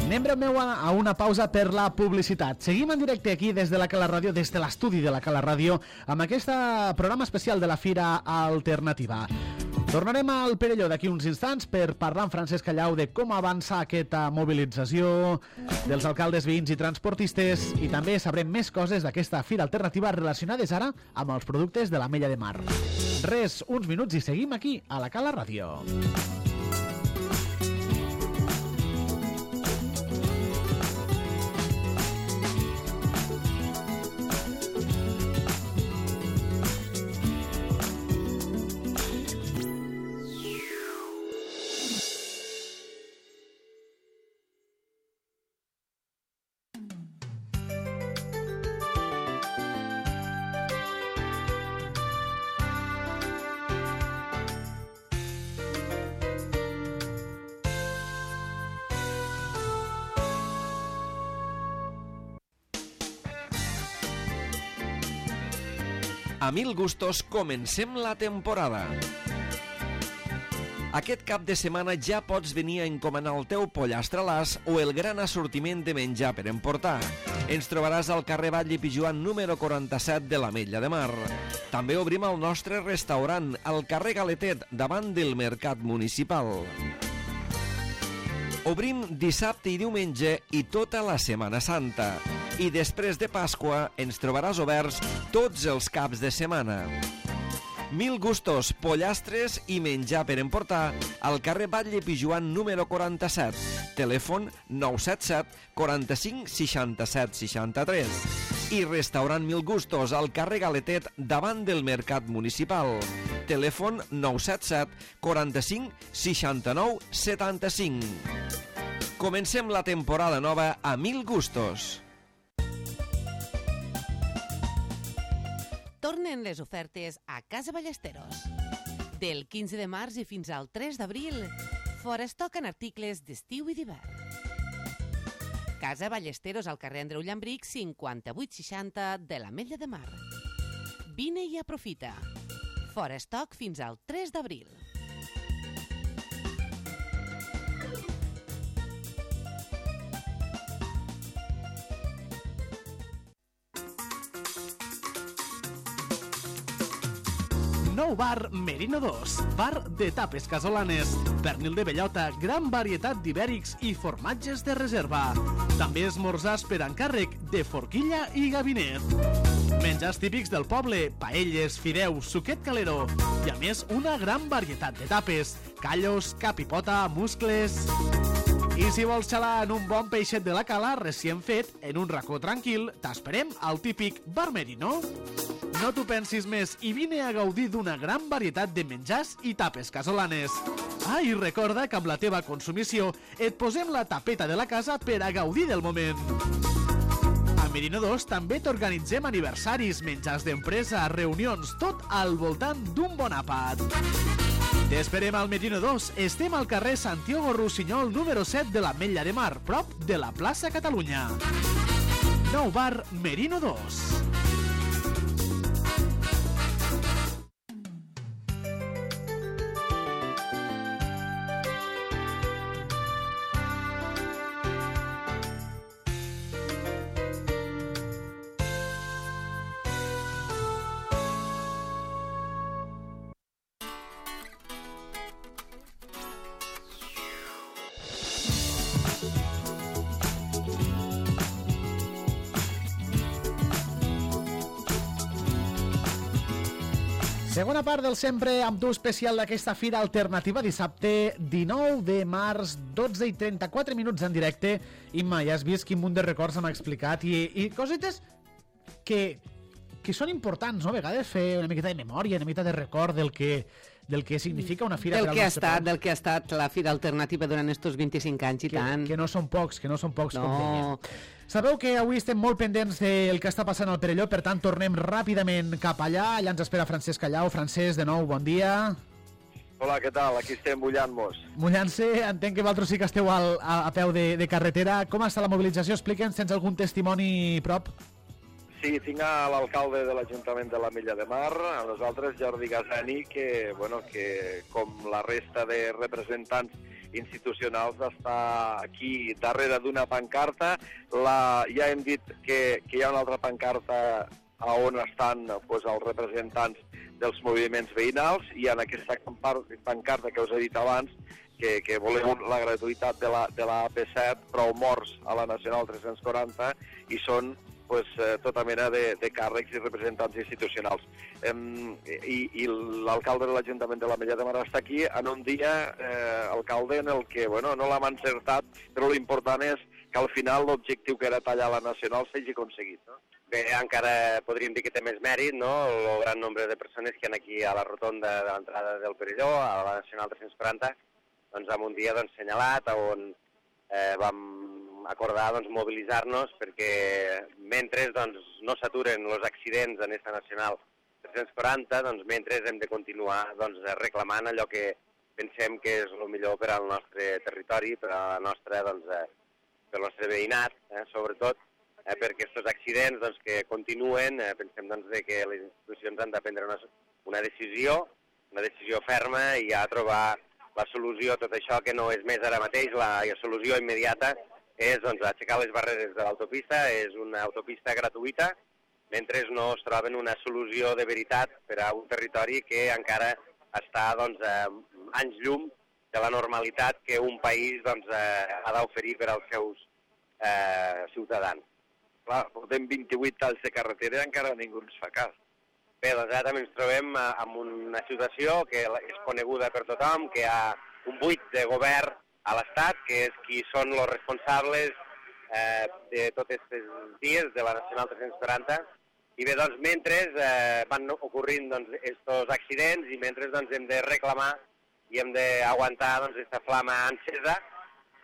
Anem breu a una pausa per la publicitat. Seguim en directe aquí des de la Cala Ràdio, des de l'estudi de la Cala Ràdio, amb aquest programa especial de la Fira Alternativa. Tornarem al Perelló d'aquí uns instants per parlar amb Francesc Callau de com avança aquesta mobilització dels alcaldes, veïns i transportistes, i també sabrem més coses d'aquesta fira alternativa relacionades ara amb els productes de l'Ametlla de Mar. Res, uns minuts i seguim aquí a la Cala Ràdio. A mil gustos comencem la temporada. Aquest cap de setmana ja pots venir a encomanar el teu pollastre a l'as o el gran assortiment de menjar per emportar. Ens trobaràs al carrer Batlle i Pijoan número quaranta-set de l'Ametlla de Mar. També obrim el nostre restaurant al carrer Galetet davant del Mercat Municipal. Obrim dissabte i diumenge i tota la Setmana Santa. I després de Pasqua ens trobaràs oberts tots els caps de setmana. Mil gustos, pollastres i menjar per emportar al carrer Batlle i Pijoan número quaranta-set. Telèfon nou set set quaranta-cinc seixanta-set seixanta-tres. I restaurant Mil Gustos al carrer Galetet davant del Mercat Municipal. Telèfon nou set set quaranta-cinc seixanta-nou setanta-cinc. Comencem la temporada nova a Mil Gustos. Tornen les ofertes a Casa Ballesteros. Del quinze de març i fins al tres d'abril, forestock en articles d'estiu i d'hivern. Casa Ballesteros al carrer Andreu Llambric, cinquanta-vuit seixanta de l'Ametlla de Mar. Vine i aprofita. Forestock fins al tres d'abril. Nou bar Merino dos, bar de tapes casolanes, pernil de bellota, gran varietat d'ibèrics i formatges de reserva. També esmorzars per encàrrec de forquilla i gabinet. Menjars típics del poble, paelles, fideus, suquet calero i a més una gran varietat de tapes, callos, capipota, muscles. I si vols xalar en un bon peixet de la Cala recient fet, en un racó tranquil, t'esperem al típic bar Merino. No t'ho pensis més i vine a gaudir d'una gran varietat de menjars i tapes casolanes. Ah, i recorda que amb la teva consumició et posem la tapeta de la casa per a gaudir del moment. A Merino dos també t'organitzem aniversaris, menjars d'empresa, reunions, tot al voltant d'un bon àpat. T'esperem al Merino dos. Estem al carrer Santiago Rossinyol número set de l'Ametlla de Mar, prop de la plaça Catalunya. Nou bar Merino dos. Segona part del sempre amb tu especial d'aquesta fira alternativa, dissabte dinou de març, dotze i trenta-quatre minuts en directe. Imma, ja has vist quin munt de records m'ha explicat i, i cosetes que, que són importants, no? A vegades fer una miqueta de memòria, una miqueta de record del que, del que significa una fira. Del que ha estat, del que ha estat la fira alternativa durant estos vint-i-cinc anys i que, tant. Que no són pocs, que no són pocs, no. com deia. Sabeu que avui estem molt pendents del que està passant al Perelló, per tant tornem ràpidament cap allà. Allà ens espera Francesc Callau. Francesc, de nou, bon dia. Hola, què tal? Aquí estem mullant-nos. Mullant-se, entenc que vosaltres sí que esteu al, a, a peu de, de carretera. Com està la mobilització? Explica'ns, tens algun testimoni prop? Sí, tinc a l'alcalde de l'Ajuntament de l'Ametlla de Mar, a nosaltres, Jordi Gasani, que, bueno, que com la resta de representants institucionals està aquí darrere d'una pancarta. La, ja hem dit que, que hi ha una altra pancarta on estan pues, els representants dels moviments veïnals, i en aquesta pancarta que us he dit abans, que, que voleu la gratuïtat de la, de la A P set, prou morts a la Nacional tres-cents quaranta, i són pues, eh, tota mena de, de càrrecs i representants institucionals. Eh, I i l'alcalde de l'Ajuntament de l'Ametlla de Mar està aquí en un dia, eh, alcalde, en el que bueno, no l'hem encertat, però l'important és que al final l'objectiu que era tallar la Nacional s'hagi aconseguit. No? Bé, encara podríem dir que té més mèrit, no?, el gran nombre de persones que hi ha aquí a la rotonda de l'entrada del Perelló, a la Nacional tres-cents quaranta, doncs en un dia doncs, senyalat, on eh, vam acordar doncs, mobilitzar-nos perquè mentre doncs, no s'aturen els accidents en aquesta Nacional tres-cents quaranta, doncs, mentre hem de continuar doncs, reclamant allò que pensem que és el millor per al nostre territori, per a la nostra, doncs, eh, per al nostre veïnat, eh, sobretot, eh, perquè aquests accidents doncs, que continuen, eh, pensem doncs, de que les institucions han de prendre una, una decisió, una decisió ferma i ja trobar la solució a tot això, que no és més ara mateix, la, la solució immediata és doncs, aixecar les barreres de l'autopista, és una autopista gratuïta, mentre no es troben una solució de veritat per a un territori que encara està doncs, eh, anys llum de la normalitat que un país doncs, eh, ha d'oferir per als seus eh, ciutadans. Clar, portem vint-i-vuit talls de carretera i encara ningú ens fa cas. Bé, doncs ara també ens trobem en una situació que és coneguda per tothom, que hi ha un buit de govern a l'Estat, que és qui són els responsables eh, de tots aquests dies de la Nacional tres-cents quaranta. I bé, doncs, mentre eh, van ocorrint aquests doncs, accidents i mentre doncs, hem de reclamar i hem d'aguantar aquesta doncs, flama encesa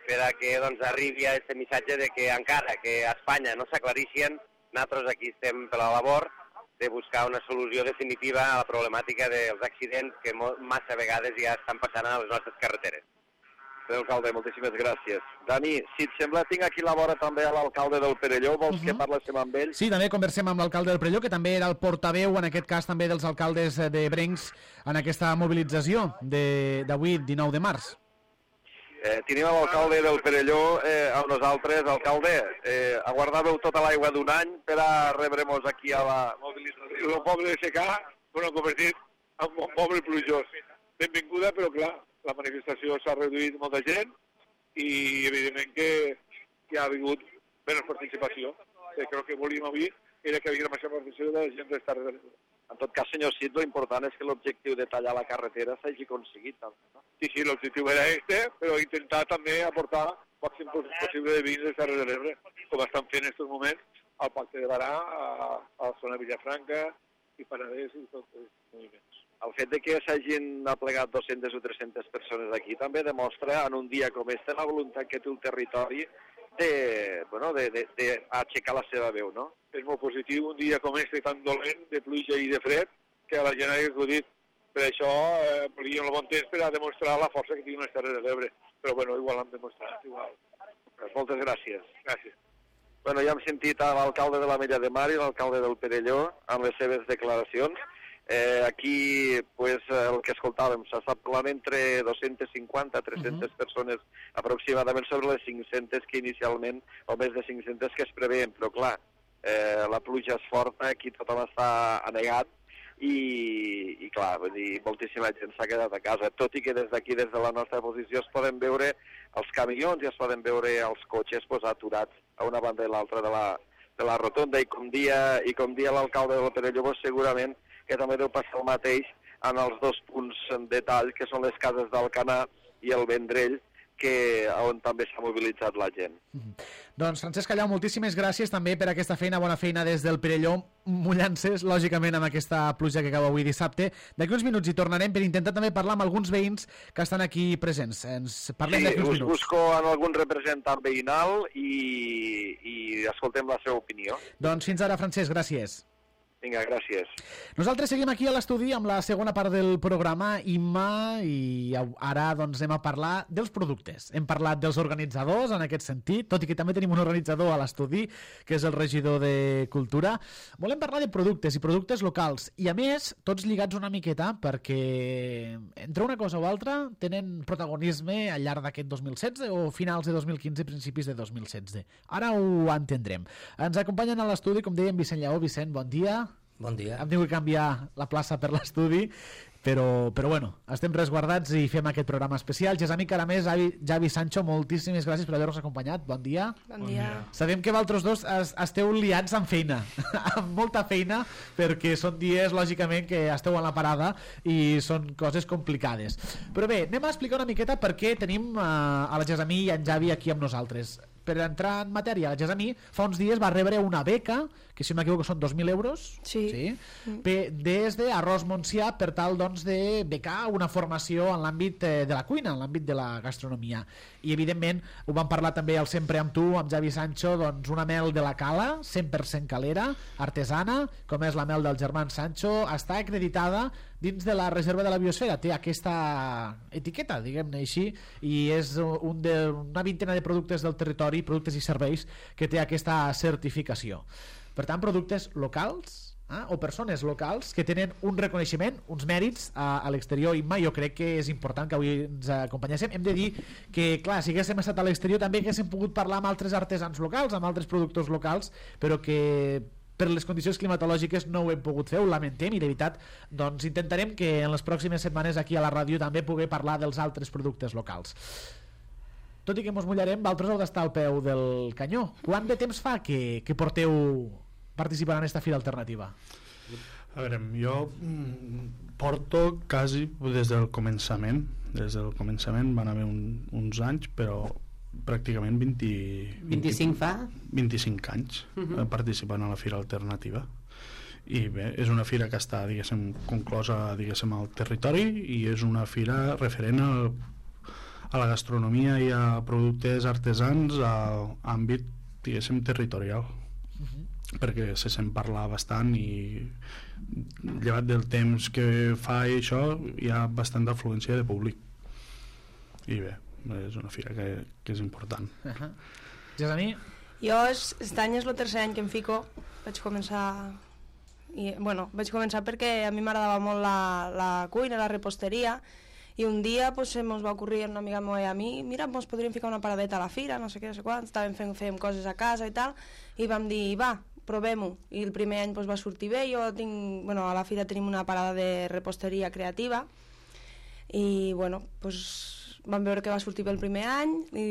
per a que doncs, arribi aquest missatge de que encara que a Espanya no s'aclarixen, nosaltres aquí estem per la labor de buscar una solució definitiva a la problemàtica dels accidents que massa vegades ja estan passant a les nostres carreteres. Bé, alcalde, moltíssimes gràcies. Dani, si et sembla, tinc aquí a la vora també a l'alcalde del Perelló. Vols uh -huh. que parléssim amb ell? Sí, també conversem amb l'alcalde del Perelló, que també era el portaveu, en aquest cas també dels alcaldes de Brencs, en aquesta mobilització d'avui, dinou de març. Eh, tenim l'alcalde del Perelló eh, amb nosaltres. Alcalde, eh, aguardàveu tota l'aigua d'un any per a rebre-nos aquí a la mobilització. El poble de Secà, bueno, convertit en un poble plujós. Benvinguda, però clar, la manifestació s'ha reduït molta gent i evidentment que, que ha hagut menys participació. Eh, crec que volíem avui era que hi havia major participació de la gent d'estar de... En tot cas, senyor Cid, l'important és que l'objectiu de tallar la carretera s'hagi aconseguit. No? Sí, sí, l'objectiu era este, però intentar també aportar el màxim possible de vins de Terres de l'Ebre, com estan fent en aquests moments al Pacte de Barà, a, a la zona de Villafranca i Penedès i tots els moviments. El fet de que s'hagin aplegat dues-centes o tres-centes persones aquí també demostra en un dia com este la voluntat que té el territori de, bueno, de, de, de aixecar la seva veu, no? És molt positiu un dia com este tan dolent, de pluja i de fred, que a la gent hagi acudit. Per això eh, volíem el bon temps per a demostrar la força que tinguin les Terres de l'Ebre. Però bueno, igual l'hem demostrat, igual. Pues moltes gràcies. Gràcies. Bueno, ja hem sentit a l'alcalde de l'Ametlla de Mar i l'alcalde del Perelló amb les seves declaracions. Eh, aquí, pues, el que escoltàvem, s'està parlant entre dues-centes cinquanta a tres-centes uh-huh. persones aproximadament sobre les cinc-centes que inicialment, o més de cinc-centes que es preveien, però clar, eh, la pluja és forta, aquí tothom està anegat i, i clar, vull dir, moltíssima gent s'ha quedat a casa, tot i que des d'aquí, des de la nostra posició, es poden veure els camions i es poden veure els cotxes pues, aturats a una banda i l'altra de, la, de la rotonda, i com dia, i com dia l'alcalde del Perelló, pues, segurament que també deu passar el mateix en els dos punts de tall, que són les cases d'Alcanar i el Vendrell, que on també s'ha mobilitzat la gent. Mm-hmm. Doncs, Francesc Callau, moltíssimes gràcies també per aquesta feina, bona feina des del Perelló, mullant-se, lògicament, amb aquesta pluja que cau avui dissabte. D'aquí uns minuts hi tornarem per intentar també parlar amb alguns veïns que estan aquí presents. Ens parlem sí, d'aquí uns minuts. Sí, us busco en algun representant veïnal i, i escoltem la seva opinió. Doncs fins ara, Francesc, gràcies. Vinga, gràcies. Nosaltres seguim aquí a l'estudi amb la segona part del programa Imma, i ara doncs anem a parlar dels productes. Hem parlat dels organitzadors en aquest sentit, tot i que també tenim un organitzador a l'estudi, que és el regidor de Cultura. Volem parlar de productes i productes locals, i a més, tots lligats una miqueta, perquè entre una cosa o altra tenen protagonisme al llarg d'aquest dos mil setze o finals de dos mil quinze, principis de dos mil setze. Ara ho entendrem. Ens acompanyen a l'estudi, com dèiem, Vicent Lleó. Vicent, bon dia. Bon dia. Hem tingut que canviar la plaça per l'estudi, però, però bueno, estem resguardats i fem aquest programa especial. Gesami Caramés, Javi, Javi Sancho, moltíssimes gràcies per haver-nos acompanyat. Bon dia. Bon dia. Sabem que vosaltres dos es, esteu liats amb feina, amb molta feina, perquè són dies, lògicament, que esteu a la parada i són coses complicades. Però bé, anem a explicar una miqueta per què tenim uh, a la Gesami i en Javi aquí amb nosaltres. Per entrar en matèria, la Gesami fa uns dies va rebre una beca, que si no m'equivoco són dos mil euros, sí. Sí? Mm. des d'Arròs Montsià, per tal doncs, de becar una formació en l'àmbit eh, de la cuina, en l'àmbit de la gastronomia. I evidentment ho vam parlar també al Sempre amb tu, amb Javi Sancho, doncs una mel de la Cala, cent per cent calera, artesana, com és la mel del germà Sancho, està acreditada dins de la reserva de la biosfera, té aquesta etiqueta, diguem-ne així, i és un de, una vintena de productes del territori, productes i serveis, que té aquesta certificació. Per tant, productes locals, eh, o persones locals que tenen un reconeixement, uns mèrits a, a l'exterior. Imma, jo crec que és important que avui ens acompanyéssim. Hem de dir que, clar, si haguéssim estat a l'exterior també haguéssim pogut parlar amb altres artesans locals, amb altres productors locals, però que per les condicions climatològiques no ho hem pogut fer, ho lamentem, i de veritat doncs intentarem que en les pròximes setmanes aquí a la ràdio també pugui parlar dels altres productes locals. Tot i que mos mullarem, vosaltres heu d'estar al peu del canyó. Quant de temps fa que, que porteu participant en aquesta fira alternativa? A veure, jo porto quasi des del començament. Des del començament van haver un, uns anys, però pràcticament vint, vint-i-cinc fa? vint-i-cinc anys uh-huh. participant a la fira alternativa. I bé, és una fira que està, diguéssim, conclosa, diguéssim, al territori, i és una fira referent al, a la gastronomia i a productes artesans a àmbit, diguéssim, territorial. Uh-huh. Perquè se sent parlar bastant, i llevat del temps que fa i això, hi ha bastant d'afluència de públic. I bé, és una fira que, que és important. Uh-huh. Gesami? Jo, aquest any és el tercer any que em fico. Vaig començar... I, bueno, vaig començar perquè a mi m'agradava molt la, la cuina, la reposteria, i un dia pues, se mos va ocurrir una amiga meva i a mi, mira, mos podríem ficar una paradeta a la fira, no sé què, no sé quant, estàvem fent, fent coses a casa i tal, i vam dir, va, provem-ho. I el primer any pues, va sortir bé. Jo tinc, bueno, a la fira tenim una parada de reposteria creativa, i bueno, pues, vam veure que va sortir bé el primer any, i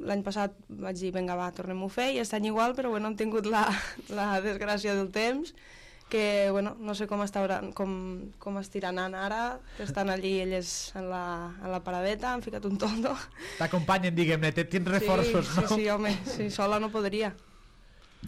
l'any passat vaig dir, vinga, va, tornem-ho a fer, i aquest any igual, però bueno, hem tingut la, la desgràcia del temps, que bueno, no sé com, està, com, com estirà anant ara, que estan allí elles en la, en la paradeta, han ficat un toldo. T'acompanyen, diguem-ne, tens reforços, sí, no? Sí, sí, home, sí, sola no podria.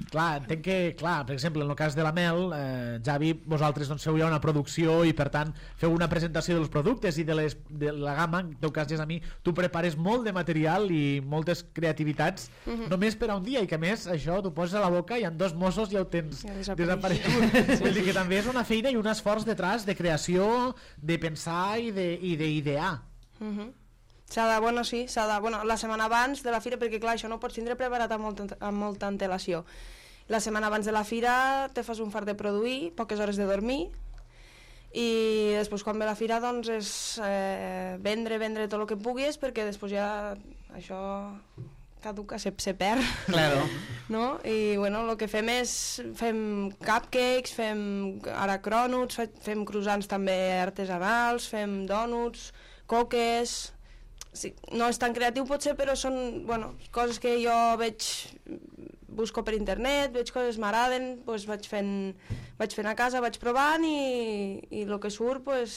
Clar, entenc que, clar, per exemple, en el cas de la mel, eh, Javi, vosaltres doncs, feu ja una producció i per tant feu una presentació dels productes i de, les, de la gamma. En teu cas, és a mi, tu prepares molt de material i moltes creativitats uh-huh. només per a un dia, i que a més això t'ho poses a la boca i en dos mossos ja ho tens ja desaparegut. Sí. Vull dir que també és una feina i un esforç detrás de creació, de pensar i d'idear. Uh-huh. S'ha de, bueno, sí, s'ha de, bueno, la setmana abans de la fira, perquè clar, això no ho pots tindre preparat amb, molt, amb molta antelació. La setmana abans de la fira te fas un fart de produir, poques hores de dormir, i després quan ve la fira doncs és eh, vendre, vendre tot el que puguis, perquè després ja això caduca, se, se perd. Claro. No? I bueno, el que fem és, fem cupcakes, fem ara crònuts, fem croissants també artesanals, fem dònuts, coques... Sí, no és tan creatiu potser, però són bueno, coses que jo veig, busco per internet, veig coses que m'agraden, doncs vaig, fent, vaig fent a casa, vaig provant i, i el que surt, doncs,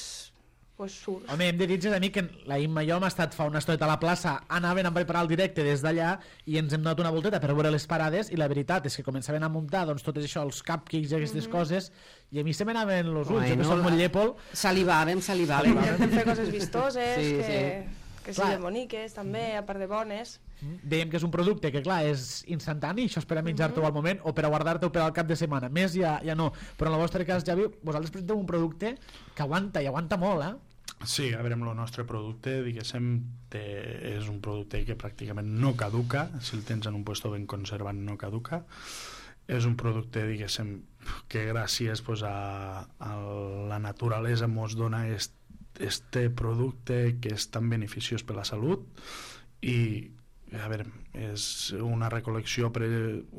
pues surt. Home, hem de dir a mi que la Imma i jo hem estat fa una estoneta a la plaça, anaven a preparar el directe des d'allà i ens hem donat una volteta per veure les parades, i la veritat és que començaven a muntar doncs, tot això, els cupcakes i aquestes mm-hmm. coses, i a mi se m'anaven els ulls, bueno, jo que soc molt llépol. Salivàvem, salivàvem. Hem de fer coses vistoses, sí, que... Sí. que siguin boniques, també, a part de bones. Dèiem que és un producte que, clar, és instantani, això és per a menjar-te al moment o per a guardar-te per al cap de setmana. Més ja, ja no. Però en el vostre cas, Javi, vosaltres presenteu un producte que aguanta, i aguanta molt, eh? Sí, a veure, amb el nostre producte, diguéssim, té, és un producte que pràcticament no caduca, si el tens en un puesto ben conservat no caduca. És un producte, diguéssim, que gràcies pues, a, a la naturalesa mos dona est, este producte que és tan beneficiós per la salut i a veure, és una recol·lecció pre,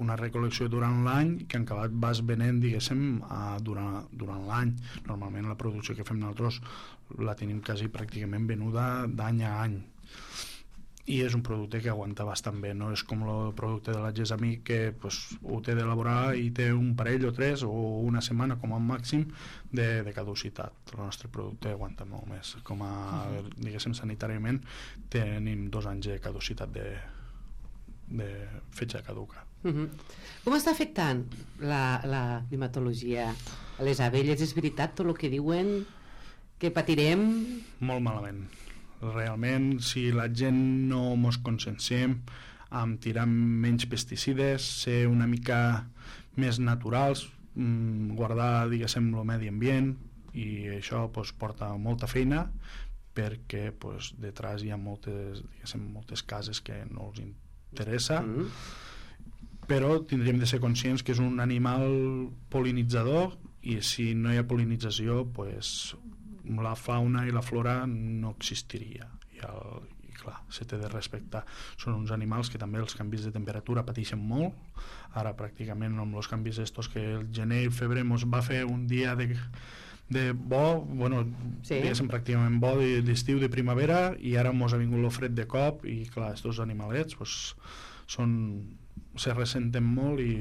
una recol·lecció durant l'any que en acabat vas venent, diguéssim, a, durant, durant l'any. Normalment la producció que fem nosaltres la tenim quasi pràcticament venuda d'any a any. I és un producte que aguanta bastant bé, no és com el producte de la Gesami que pues, ho té d'elaborar i té un parell o tres o una setmana com a màxim de, de caducitat. El nostre producte aguanta molt més. Com a, uh-huh. diguéssim, sanitàriament tenim dos anys de caducitat de, de fetge caduca. Uh-huh. Com està afectant la, la climatologia a les abelles? És veritat tot el que diuen que patirem? Molt malament. Realment, si la gent no mos conscienciem amb tirar menys pesticides, ser una mica més naturals, guardar, diguéssim, el medi ambient, i això pues, porta molta feina perquè pues, detrás hi ha moltes, diguéssim, moltes cases que no els interessa, mm. però tindríem de ser conscients que és un animal pol·linitzador i si no hi ha pol·linització pues, la fauna i la flora no existiria i, el, i clar, se té de respectar. Són uns animals que també els canvis de temperatura pateixen molt. Ara pràcticament amb els canvis estos que el gener i el febrer ens va fer un dia de, de bo, bueno, sí. diguéssim pràcticament bo d'estiu, de primavera, i ara ens ha vingut el fred de cop i clar, estos animalets pues, són, se ressenten molt i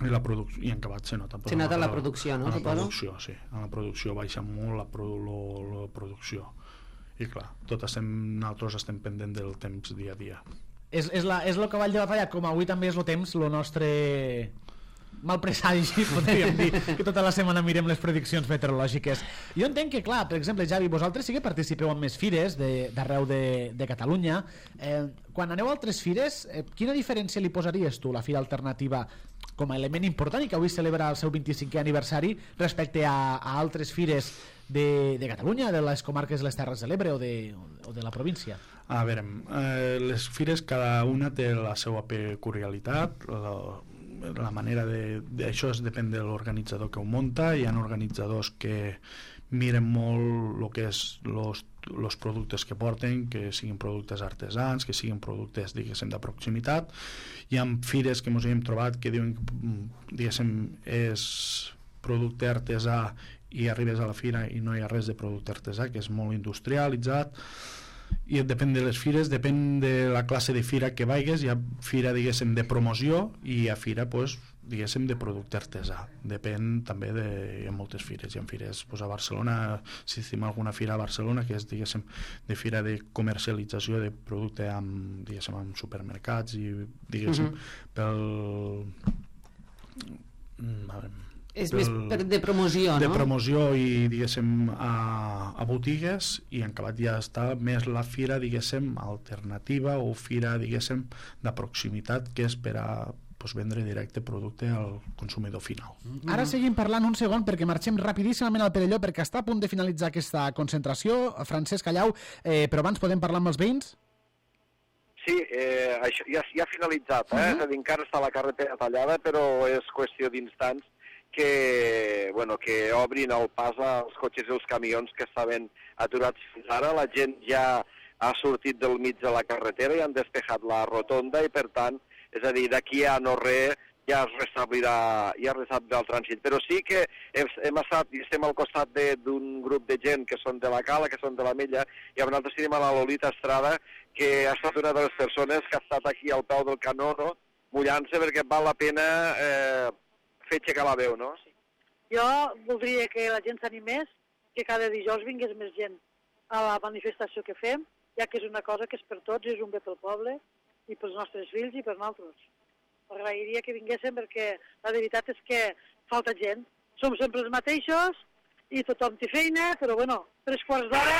i la producció, i en acabat se nota se nota la, la producció, no? La producció, sí, en la producció baixa molt la, pro, lo, la producció i clar, tot estem, nosaltres estem pendent del temps dia a dia. És, és, la, és el cavall de batalla, com avui també és el temps, el nostre mal presagi, podríem dir, que tota la setmana mirem les prediccions meteorològiques. Jo entenc que, clar, per exemple, Javi, vosaltres sí que participeu en més fires d'arreu de, de, de Catalunya. Eh, quan aneu a altres fires, eh, quina diferència li posaries tu, la Fira Alternativa, com a element important i que avui celebra el seu vint-i-cinquè aniversari respecte a, a altres fires de, de Catalunya, de les comarques de les Terres de l'Ebre o, de, o de la província? A veure, eh, les fires cada una té la seva peculiaritat, la, la manera de, de... Això es depèn de l'organitzador que ho munta. Hi ha organitzadors que miren molt el que és los, los productes que porten, que siguin productes artesans, que siguin productes, diguéssim, de proximitat. Hi ha fires que ens hem trobat que diuen que, diguéssim, és producte artesà i arribes a la fira i no hi ha res de producte artesà, que és molt industrialitzat. I depèn de les fires, depèn de la classe de fira que vagis. Hi ha fira, diguéssim, de promoció i hi ha fira, pues, diguéssim, de producte artesà. Depèn també de... Hi ha moltes fires. Hi ha fires pues, a Barcelona, si estem alguna fira a Barcelona, que és, diguéssim, de fira de comercialització de producte amb, diguéssim, amb supermercats i, diguéssim, uh-huh. pel... A veure, és més per de promoció, de no? De promoció i, diguéssim, a, a botigues, i en acabat ja està més la fira, diguéssim, alternativa o fira, diguéssim, de proximitat, que és per a pues, vendre directe producte al consumidor final. Ara seguim parlant un segon perquè marxem rapidíssimament al Perelló perquè està a punt de finalitzar aquesta concentració. Francesc Callau, eh, però abans podem parlar amb els veïns? Sí, eh, això ja, ja ha finalitzat, eh? Uh-huh. És a dir, encara està la carretera tallada, però és qüestió d'instants que, bueno, que obrin el pas als cotxes i els camions que estaven aturats fins ara. La gent ja ha sortit del mig de la carretera i han despejat la rotonda i, per tant, és a dir, d'aquí a no res ja es restablirà, ja es restablirà el trànsit. Però sí que hem, hem estat i estem al costat d'un grup de gent que són de la Cala, que són de la Mella, i nosaltres tenim a la Lolita Estrada, que ha estat una de les persones que ha estat aquí al peu del canó, no? Mullant-se perquè val la pena eh, fer aixecar la veu, no? Jo voldria que la gent s'animés, que cada dijous vingués més gent a la manifestació que fem, ja que és una cosa que és per tots, és un bé pel poble, i pels nostres fills i per nosaltres. Agrairia que vinguéssim perquè la veritat és que falta gent. Som sempre els mateixos i tothom té feina, però bueno, tres quarts d'hora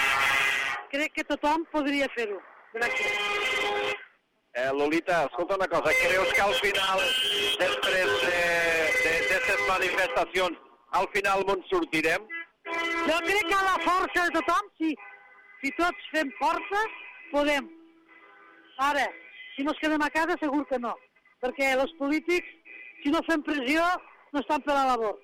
crec que tothom podria fer-ho. Gràcies. Eh, Lolita, escolta una cosa, creus que al final, després d'aquestes manifestacions, al final on sortirem? Jo crec que a la força de tothom, si, si tots fem força, podem. Ara, si no es quedem a casa, segur que no. Perquè els polítics, si no fem pressió, no estan per la labor.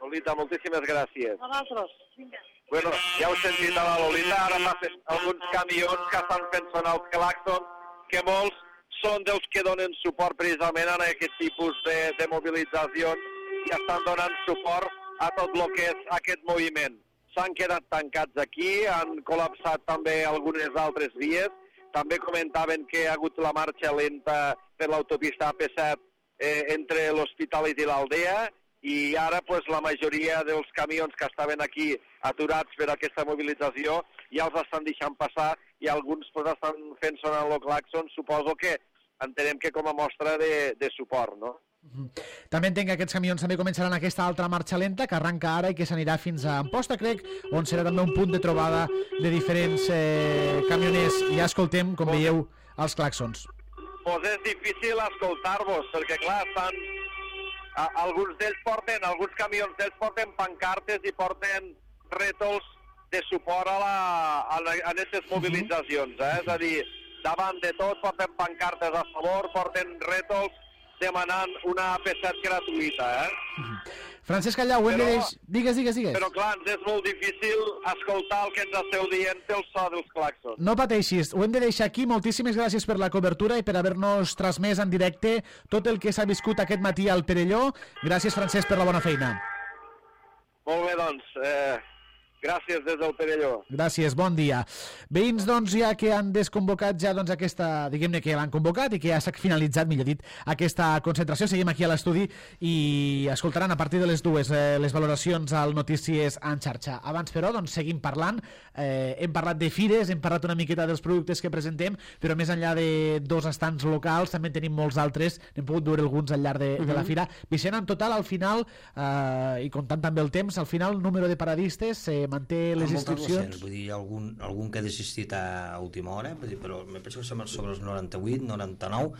Lolita, moltíssimes gràcies. Nosaltres, vinga. Bueno, ja heu sentit a la Lolita, ara fa alguns camions que estan fent sonar els clàxons, que molts són dels que donen suport precisament a aquest tipus de, de mobilitzacions i estan donant suport a tot el que és aquest moviment. S'han quedat tancats aquí, han col·lapsat també algunes altres vies, també comentaven que ha hagut la marxa lenta per l'autopista A P set eh, entre l'Hospitalet i l'Aldea, i ara pues, la majoria dels camions que estaven aquí aturats per aquesta mobilització ja els estan deixant passar i alguns pues, estan fent sonar el clàxon, suposo que entenem que com a mostra de, de suport, no? També entenc que aquests camions també començaran aquesta altra marxa lenta que arranca ara i que s'anirà fins a Amposta, crec, on serà també un punt de trobada de diferents eh, camioners. I ja escoltem, com pues, veieu, els clàxons. Doncs és difícil escoltar-vos, perquè clar, estan... A, alguns d'ells porten, alguns camions d'ells porten pancartes i porten rètols de suport a, la, a, la, a aquestes mobilitzacions, eh? És a dir, davant de tot porten pancartes a favor, porten rètols demanant una A P set gratuïta, eh? Francesc Callau, ho hem de deixar... Digues, digues, digues. Però clar, ens és molt difícil escoltar el que ens esteu dient pel so dels clàxons. No pateixis, ho hem de deixar aquí. Moltíssimes gràcies per la cobertura i per haver-nos transmès en directe tot el que s'ha viscut aquest matí al Perelló. Gràcies, Francesc, per la bona feina. Molt bé, doncs. Eh, gràcies des del Perelló. Gràcies, bon dia. Veïns, doncs, ja que han desconvocat ja doncs, aquesta, diguem-ne que l'han convocat i que ja s'ha finalitzat, millor dit, aquesta concentració. Seguim aquí a l'estudi i escoltaran a partir de les dues eh, les valoracions al Notícies en xarxa. Abans, però, doncs, seguim parlant. Eh, hem parlat de fires, hem parlat una miqueta dels productes que presentem, però més enllà de dos estants locals, també tenim molts altres. N'hem pogut veure alguns al llarg de, uh-huh. de la fira. Vicent, en total, al final, eh, i comptant també el temps, al final, el número de paradistes eh, manté les inscripcions. Vull dir, algun, algun que ha desistit a última hora, vull dir, però me penso que som sobre els noranta-vuit, noranta-nou,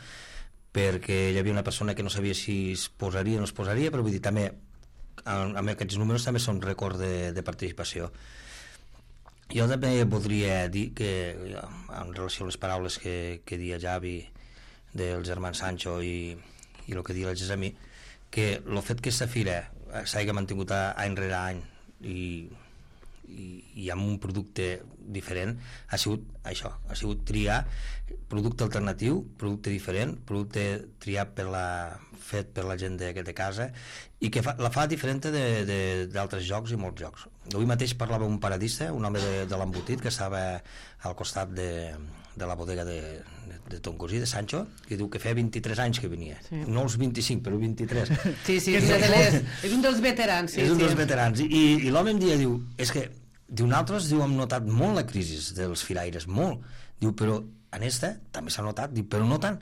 perquè hi havia una persona que no sabia si es posaria o no es posaria, però vull dir, també, amb aquests números també són rècord de, de participació. Jo també voldria dir que, en relació a les paraules que, que dia Javi del germà Sancho i, i el que dia el Gessamí, que el fet que aquesta fira s'hagi mantingut any rere any i I, i amb un producte diferent ha sigut això, ha sigut triar producte alternatiu, producte diferent, producte triat per la, fet per la gent de, de casa i que fa, la fa diferent d'altres jocs i molts jocs. Avui mateix parlava un paradista, un home de, de l'embotit que estava al costat de, de la bodega de, de, de ton cosí, de Sancho, que diu que feia vint-i-tres anys que venia, sí. No els vint-i-cinc, però vint-i-tres. Sí, sí, és, de les, és un dels veterans. Sí, és un sí. dels veterans. I, i l'home em dia, diu, és que diu, nosaltres, diu, hem notat molt la crisi dels firaires, molt. Diu, però en esta també s'ha notat, diu, però no tant.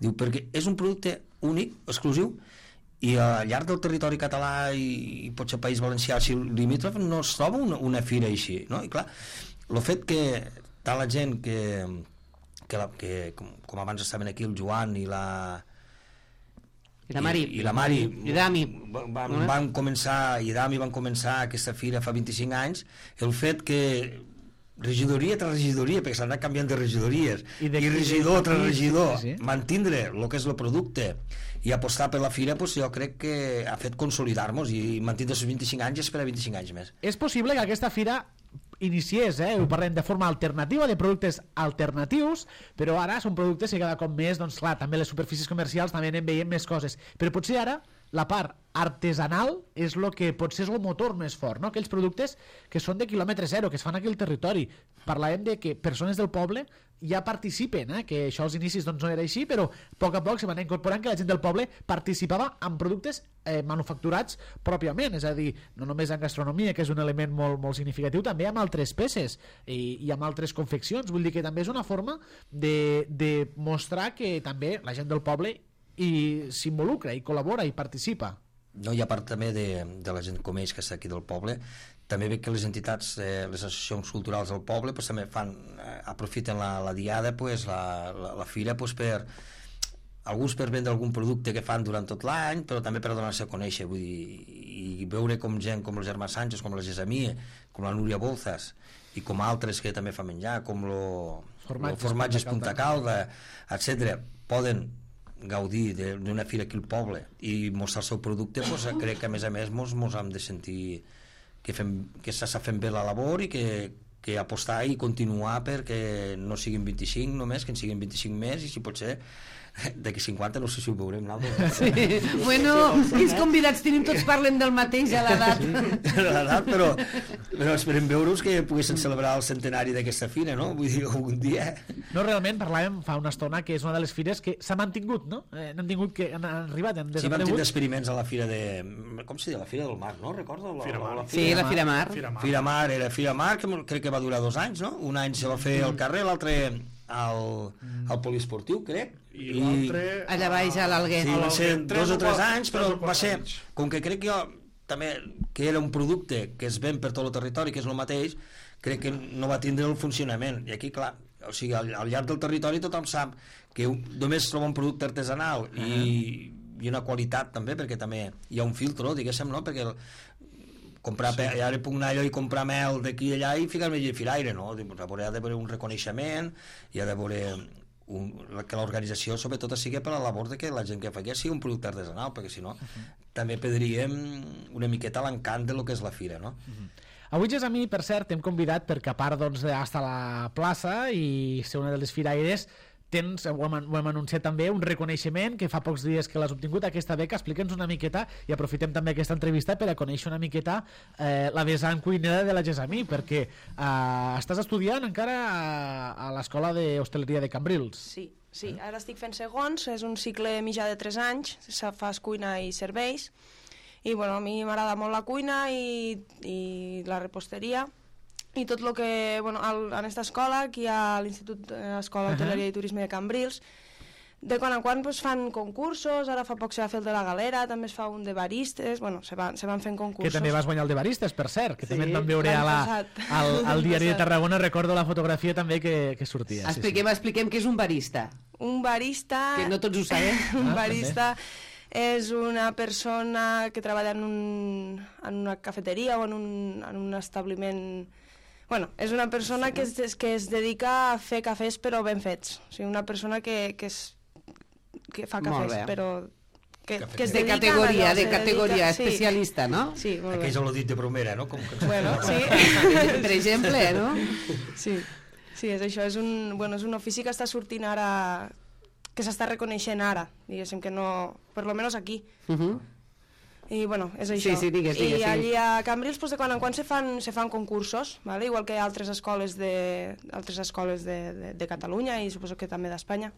Diu, perquè és un producte únic, exclusiu, i al llarg del territori català i, i potser País Valencià, si limítrof, no es troba una, una fira així, no? I clar, el fet que tant la gent que, que, la, que com, com abans estaven aquí el Joan i la... I la Mari. I, i la Mari. I Dami. Van, van començar, i Dami van començar aquesta fira fa vint-i-cinc anys, el fet que regidoria tras regidoria, perquè s'han anat canviant de regidories, i, de, i regidor tras regidor, sí, sí. Mantindre el que és el producte i apostar per la fira, pues, jo crec que ha fet consolidar-nos i mantindre els vint-i-cinc anys i esperar vint-i-cinc anys més. És possible que aquesta fira iniciés, eh? Ho parlem de forma alternativa, de productes alternatius, però ara són productes que cada cop més, doncs clar, també les superfícies comercials també anem veient més coses, però potser ara la part artesanal és el que potser és el motor més fort, no? Aquells productes que són de quilòmetre zero, que es fan aquí al territori. Parlàvem de que persones del poble ja participen, eh? Que això als inicis doncs, no era així, però a poc a poc se van incorporant que la gent del poble participava en productes eh, manufacturats pròpiament, és a dir, no només en gastronomia, que és un element molt, molt significatiu, també amb altres peces i, i amb altres confeccions. Vull dir que també és una forma de, de mostrar que també la gent del poble i s'involucra, i col·labora, i participa. No, i a part també de, de la gent com ells que està aquí del poble, també veig que les entitats, eh, les associacions culturals del poble pues, també fan, eh, aprofiten la, la diada, pues, la, la, la fira pues, per alguns per vendre algun producte que fan durant tot l'any, però també per donar-se a conèixer, vull dir, i veure com gent com el Germà Sánchez, com la Gesamí, com la Núria Bolzas i com altres que també fa menjar, com lo, Formatges, lo Formatges Punta Calda, etcètera, poden gaudir d'una fira aquí al poble i mostrar el seu producte, doncs, crec que a més a més mos, mos hem de sentir que, fem, que s'està fent bé la labor i que, que apostar i continuar perquè no siguin vint-i-cinc només, que en siguin vint-i-cinc més i si pot ser d'aquí cinquanta no sé si ho veurem nosaltres. Sí. Bueno, quins convidats tenim, tots parlem del mateix a l'edat. Sí, a l'edat, però, però esperem veure-us que poguessin celebrar el centenari d'aquesta fira, no? Vull dir, algun dia. No, realment, parlàvem fa una estona que és una de les fires que s'ha mantingut, no? Eh, han tingut que han arribat, han desaparegut. Sí, vam tindre experiments a la fira de... Com se diu? La Fira del Mar, no? Recordo? La, Fira Mar. La, la sí, la Fira Mar. Fira Mar. Fira Mar, era Fira Mar, que crec que va durar dos anys, no? Un any se va fer al carrer, l'altre al, al poliesportiu, crec. I l'altre... Allà baix, a l'Alguer. Sí, va ser dos o tres anys, però va ser... Com que crec jo també que era un producte que es ven per tot el territori, que és el mateix, crec que no va tindre el funcionament. I aquí, clar, o sigui, al, al llarg del territori tothom sap que un, només troba un producte artesanal uh -huh. i, i una qualitat també, perquè també hi ha un filtro, diguéssim, no? Perquè el, comprar sí. Pe, ara puc anar allò i comprar mel d'aquí i allà i ficar-me allà a firaire, no? Ha d'haver un reconeixement, hi ha d'haver un, que l'organització sobretot sigui per la labor de que la gent que fa aquí sigui un producte artesanal, perquè si no uh -huh. també perdríem una miqueta l'encant de lo que és la fira, no? Uh -huh. Avui, Gesamí, per cert, hem convidat perquè a part doncs, d'estar a la plaça i ser una de les firaires, tens, ho hem, ho hem anunciat també, un reconeixement que fa pocs dies que l'has obtingut, aquesta beca. Explica'ns una miqueta i aprofitem també aquesta entrevista per a conèixer una miqueta eh, la vessant cuinera de la Gesamí, perquè eh, estàs estudiant encara a, a l'Escola d'Hostaleria de Cambrils. Sí, sí, ara estic fent segons, és un cicle mitjà de tres anys, fas cuina i serveis, i bueno, a mi m'agrada molt la cuina i, i la reposteria, i tot el que, bueno, al, en aquesta escola, aquí a l'Institut Escola d'Hoteleria uh -huh. i Turisme de Cambrils, de quan en quan pues, fan concursos, ara fa poc se va fer el de la galera, també es fa un de baristes, bueno, se van, se van fent concursos. Que també vas guanyar el de baristes, per cert, que sí, també et van veure a la, al, al diari de Tarragona, recordo la fotografia també que, que sortia. Expliquem, sí, sí. expliquem què és un barista. Un barista... Que no tots ho sabem. un barista... També. És una persona que treballa en, un, en una cafeteria o en un, en un establiment... Bueno, és una persona que es, que es dedica a fer cafès però ben fets. O sigui, una persona que, que, és, que fa cafès, però... Que, que es de dedica categoria, allò, de categoria, dedica, especialista, sí. no? Sí, molt bé. Aquells l'ho dit de bromera, no? Com que... Bueno, sí. Per exemple, no? Sí, sí, és això, és un, bueno, és un ofici que està sortint ara... que s'està reconeixent ara, diguéssim que no... Per lo menos aquí. Uh -huh. I bueno, és això. Sí, sí, digues, digues, I allí a Cambrils, pues, de quan en quan se fan, se fan concursos, ¿vale? Igual que altres escoles de, altres escoles de, de, de Catalunya i suposo que també d'Espanya.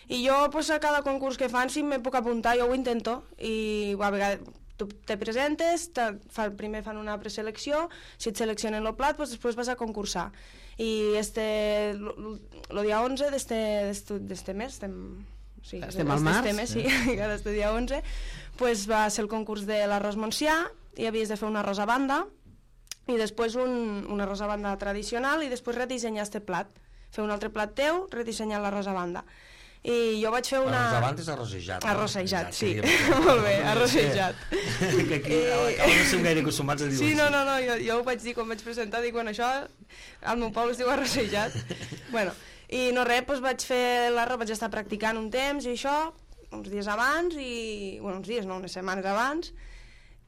I jo, pues, a cada concurs que fan, si me puc apuntar, jo ho intento. I a vegades tu te presentes, te, fa, primer fan una preselecció, si et seleccionen el plat, pues, després vas a concursar. I este, el dia onze d'este mes, estem, sí, estem al març, mes, sí, cada este dia onze, pues va ser el concurs de l'arròs Montsià, i havies de fer un arròs a banda, i després un, un arròs a banda tradicional, i després redissenyar este plat. Fer un altre plat teu, redissenyar l'arròs a banda. I jo vaig fer una... Arròs a banda és arrossejat. Arrossejat, sí. Molt bé, arrossejat. Que aquí no som gaire acostumats a dir-ho. Sí, no, no, no, jo, jo ho vaig dir quan vaig presentar, dic, bueno, això al meu poble es diu arrossejat. Bueno, i no res, doncs vaig fer l'arròs, vaig estar practicant un temps i això, uns dies abans, i, bueno, uns dies, no, unes setmanes abans,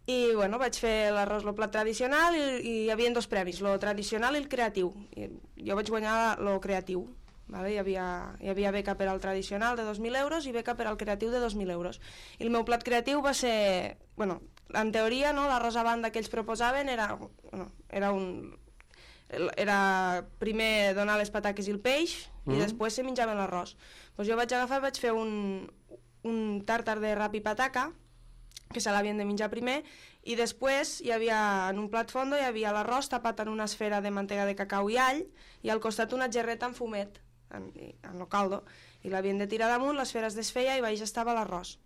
i, bueno, vaig fer l'arròs, el plat tradicional, i, i hi havia dos premis, el tradicional i el creatiu. I jo vaig guanyar el creatiu. Vale? Hi, havia, hi havia beca per al tradicional de dos mil euros i beca per al creatiu de dos mil euros. I el meu plat creatiu va ser... Bueno, en teoria, no, l'arròs a banda que ells proposaven era, bueno, era un... Era primer donar les pataques i el peix mm. i després se menjaven l'arròs. Pues jo vaig agafar, vaig fer un, un tàrtar de rap i pataca, que se l'havien de menjar primer, i després hi havia, en un plat fondo hi havia l'arròs tapat en una esfera de mantega de cacau i all, i al costat una gerreta amb fumet, en, en lo caldo, i l'havien de tirar damunt, l'esfera es desfeia i baix estava l'arròs.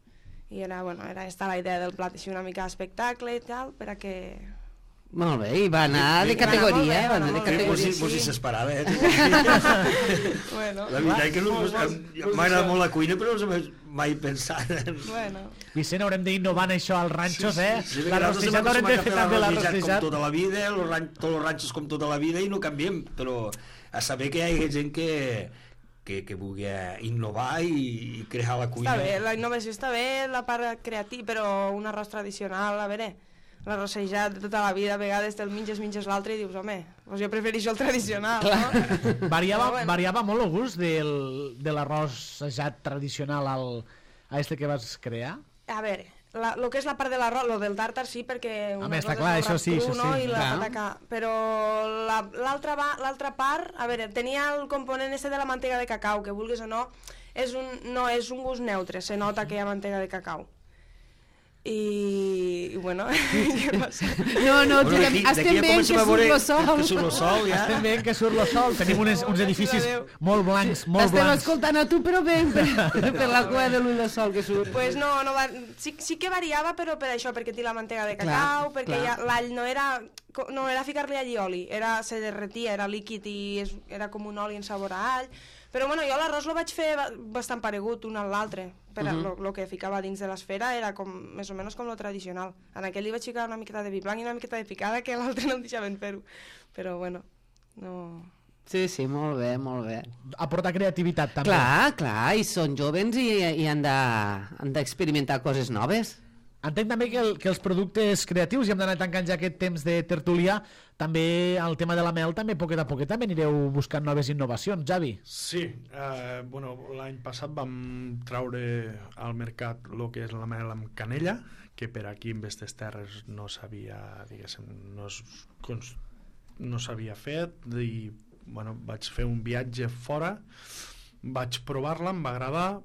I era, bueno, era esta la idea del plat, així una mica d'espectacle i tal, per a que Molt bé, i va anar de categoria, eh? Va anar de categoria, sí. Vos hi s'esperava, eh? Bueno. La veritat que no, m'agrada molt la cuina, però no s'ha mai pensat. Bueno. Vicent, haurem d'innovar en això als ranxos, eh? Sí, sí, la rossejat haurem de fer també la rossejat. Com tota la vida, los ran, tots els ranxos com tota la vida, i no canviem, però a saber que hi ha gent que, que, que vulgui innovar i, i crear la cuina. Està bé, la innovació està bé, la part creativa, però un arròs tradicional, a veure, l'arrossejat de tota la vida, a vegades te'l menges, menges l'altre i dius, home, doncs jo prefereixo el tradicional, no? Variava, bueno. variava molt el gust del, de l'arrossejat tradicional al, a este que vas crear? A veure, la, lo que és la part de l'arròs, lo del tàrtar sí, perquè una cosa clar, és el això sí, cru, això sí. No? I la clar. pataca, però l'altra la, l'altra part, a veure, tenia el component este de la mantega de cacau, que vulguis o no, és un, no és un gust neutre, se nota que hi ha mantega de cacau. I, i bueno, no sé. No, no, bueno, aquí, estem veient que surt el sol. Que surt el sol, ja. Estem veient que surt el sol. Tenim uns, uns edificis molt blancs, molt Estem blancs. Estem escoltant a tu, però ben per, per la cua de l'ull de sol que surt. Pues no, no va, sí, sí que variava, però per això, perquè té la mantega de cacau, clar, perquè ja, l'all no era, no era ficar-li allí oli, era, se derretia, era líquid i es, era com un oli en sabor a all. Però bueno, jo l'arròs lo vaig fer bastant paregut un a l'altre, però uh -huh. lo que ficava dins de l'esfera era com, més o menys com lo tradicional. En aquell li vaig ficar una miqueta de vi blanc i una miqueta de picada, que l'altre no em deixaven fer-ho. Però bueno, no... Sí, sí, molt bé, molt bé. Aporta creativitat també. Clar, clar, i són jovens i, i han d'experimentar coses noves. Entenc també que, el, que els productes creatius, i hem d'anar tancant ja aquest temps de tertúlia, també el tema de la mel, també poquet a poquet també anireu buscant noves innovacions, Javi. Sí, eh, bueno, l'any passat vam traure al mercat el que és la mel amb canella, que per aquí en aquestes terres no s'havia, diguéssim, no, no s'havia fet, i bueno, vaig fer un viatge fora, vaig provar-la, em va agradar,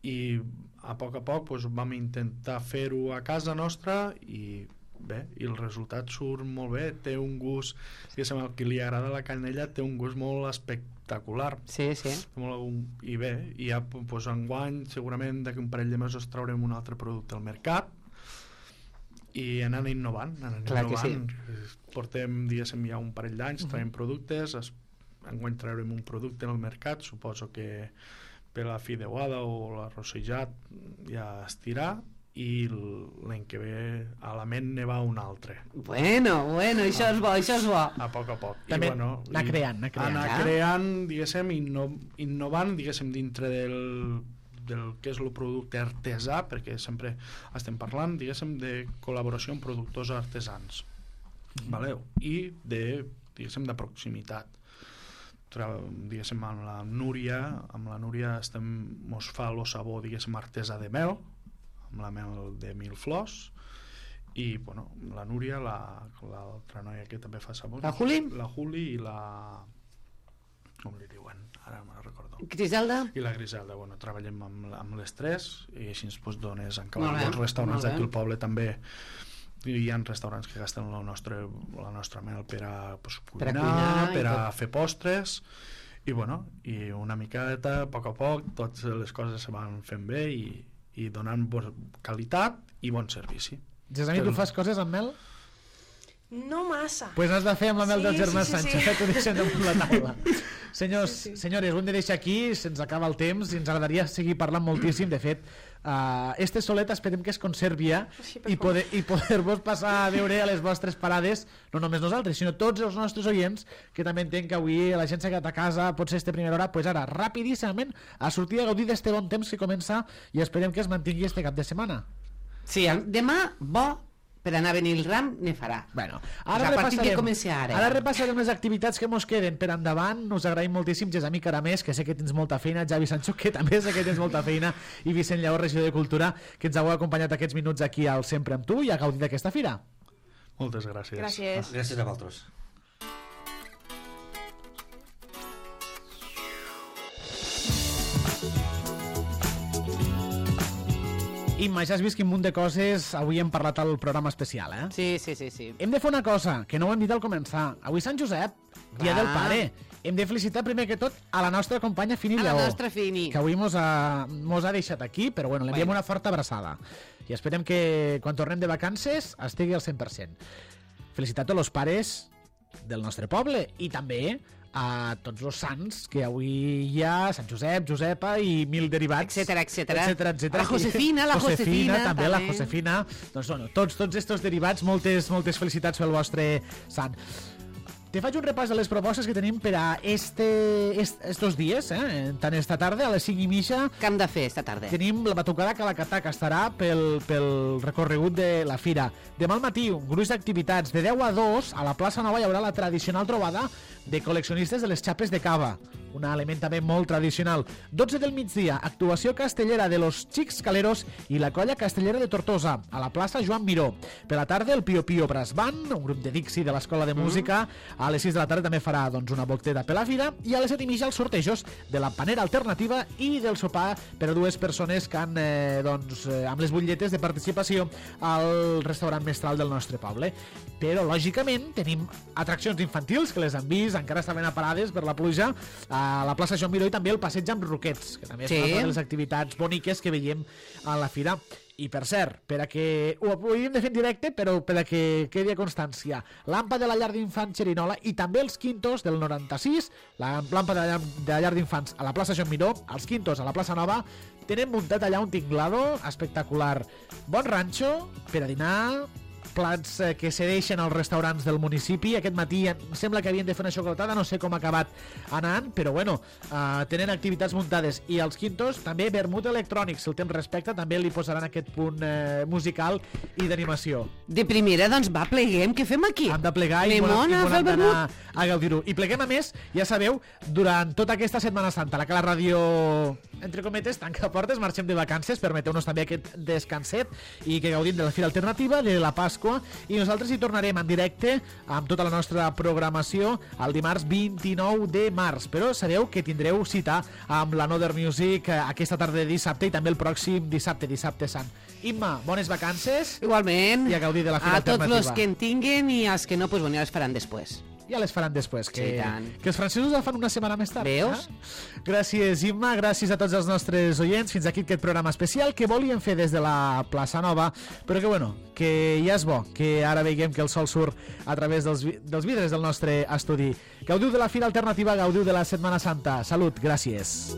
i a poc a poc doncs, vam intentar fer-ho a casa nostra i bé, i el resultat surt molt bé, té un gust, diguéssim, al que li agrada la canella té un gust molt espectacular. Sí, sí. Molt, i bé, i ja doncs, enguany segurament d'aquí un parell de mesos traurem un altre producte al mercat i anant innovant, anant Clar innovant. Que sí. Portem, diguéssim, ja un parell d'anys traiem productes, es, enguany traurem un producte al mercat, suposo que per la fideuada o l'arrossejat ja es tirà, i l'any que ve a la ment ne va un altre. Bueno, bueno, això ah. és bo, això és bo. A poc a poc. També I, bueno, anar i creant, anar creant. Anar creant, diguéssim, inno, innovant, diguéssim, dintre del, del que és el producte artesà, perquè sempre estem parlant, diguéssim, de col·laboració amb productors artesans. Mm. Vale? I de, diguéssim, de proximitat. Diguéssim, amb la Núria, amb la Núria estem, mos fa el sabor, diguéssim, artesà de mel, amb la mel de mil flors, i bueno, la Núria, l'altra la, noia que també fa sabor, la Juli? La Juli i la... com li diuen? Ara me'n recordo. Griselda? I la Griselda, bueno, treballem amb, amb les tres i així ens pues, dones en cada dels restaurants d'aquí al poble també. Hi ha restaurants que gasten la nostra, la nostra mel per a pues, cuinar, per a, cuinar, per a fer postres, i bueno, i una miqueta, a poc a poc, totes les coses se van fent bé i, i donant qualitat i bon servici. Gesami, tu fas coses amb mel? No massa. Pues has de fer amb la mel sí, del germà sí, sí, Sánchez, sí. T'ho deixem damunt la taula. Senyors, sí, sí. senyores, ho hem de deixar aquí, se'ns acaba el temps i ens agradaria seguir parlant moltíssim. De fet, uh, este solet esperem que es conservi ja sí, i, poder, i poder-vos passar a veure a les vostres parades, no només nosaltres, sinó tots els nostres oients, que també entenc que avui la gent s'ha quedat a casa, pot ser este primera hora, pues ara, rapidíssimament, a sortir a gaudir d'este bon temps que comença i esperem que es mantingui este cap de setmana. Sí, demà, bo, per anar a venir el ram, ne farà. Bueno, ara, o sigui, que comenci ara. Ara repassarem les activitats que mos queden per endavant. Us agraïm moltíssim, Gesami Caramés, que sé que tens molta feina, Javi Sancho, que també sé que tens molta feina, i Vicent Lleó, regidor de Cultura, que ens heu acompanyat aquests minuts aquí al Sempre amb tu i a gaudir d'aquesta fira. Moltes gràcies. Gràcies. Gràcies a vosaltres. Imma, ja has vist quin munt de coses avui hem parlat al programa especial, eh? Sí, sí, sí, sí. Hem de fer una cosa, que no ho hem dit al començar. Avui Sant Josep, dia Va. del pare. Hem de felicitar primer que tot a la nostra companya Fini A Lleó. la nostra Fini. Que avui mos ha, mos ha deixat aquí, però bueno, l'enviem Bueno. una forta abraçada. I esperem que quan tornem de vacances estigui al cent per cent. felicitar tots els pares del nostre poble i també a tots els sants que avui hi ha, Sant Josep, Josepa i mil derivats, etcètera, etcètera. etcètera, etcètera. La Josefina, la Josefina, Josefina, també, també. la Josefina. Doncs bueno, tots, tots estos derivats, moltes, moltes felicitats pel vostre sant. Te faig un repàs de les propostes que tenim per a este, est, estos dies, eh? Tant esta tarda, a les cinc i mitja. Què hem de fer esta tarda? Tenim la batucada Calacatà, que estarà pel, pel recorregut de la fira. Demà al matí, un gruix d'activitats. De deu a dos, a la plaça Nova hi haurà la tradicional trobada de col·leccionistes de les xapes de cava, un element també molt tradicional. dotze del migdia, actuació castellera de los Xics Caleros i la colla castellera de Tortosa, a la plaça Joan Miró. Per la tarda, el Pio Pio Brass Band, un grup de Dixi de l'Escola de Música. A les sis de la tarda també farà doncs, una volteta per la fira, i a les set i mitja els sortejos de la panera alternativa i del sopar per a dues persones que han, eh, doncs, eh, amb les butlletes de participació al restaurant mestral del nostre poble. Però, lògicament, tenim atraccions infantils, que les han vist, encara estaven aparades per la pluja, a la plaça Joan Miró, i també el passeig amb roquets, que també Sí. és una de les activitats boniques que veiem a la fira. I, per cert, per a que ho hauríem de fer en directe, però per a que quedi a constància, l'Ampa de la llar d'infants Xerinola i també els Quintos del noranta-sis, la l'Ampa de la llar, de la llar d'infants a la plaça Joan Miró, els Quintos a la plaça Nova, tenen muntat allà un tinglado espectacular. Bon ranxo per a dinar, plats eh, que cedeixen als restaurants del municipi. Aquest matí em sembla que havien de fer una xocolatada, no sé com ha acabat anant, però bueno, eh, tenen activitats muntades. I als Quintos també vermut electrònic, si el temps respecta, també li posaran aquest punt eh, musical i d'animació. De primera, doncs va, pleguem, què fem aquí? Hem de plegar i Anem volem, a i fer volem el anar vermut? a gaudir-ho. I pleguem, a més, ja sabeu, durant tota aquesta Setmana Santa, la que la ràdio, entre cometes, tanca portes, marxem de vacances, permeteu-nos també aquest descanset i que gaudim de la Fira Alternativa, de la Pasqua, i nosaltres hi tornarem en directe amb tota la nostra programació el dimarts vint-i-nou de març. Però sabeu que tindreu cita amb la Another Music aquesta tarda de dissabte i també el pròxim dissabte, dissabte sant. Imma, bones vacances. Igualment. I a gaudir de la Fira A tots Alternativa. els que en tinguin i els que no, pues, bueno, ja les faran després. Ja les faran després, que, Sí, tant. que els francesos la fan una setmana més tard. Veus? Eh? Gràcies, Imma, gràcies a tots els nostres oients. Fins aquí aquest programa especial que volíem fer des de la plaça Nova, però que, bueno, que ja és bo, que ara veiem que el sol surt a través dels, vi dels vidres del nostre estudi. Gaudiu de la Fira Alternativa, gaudiu de la Setmana Santa. Salut, gràcies.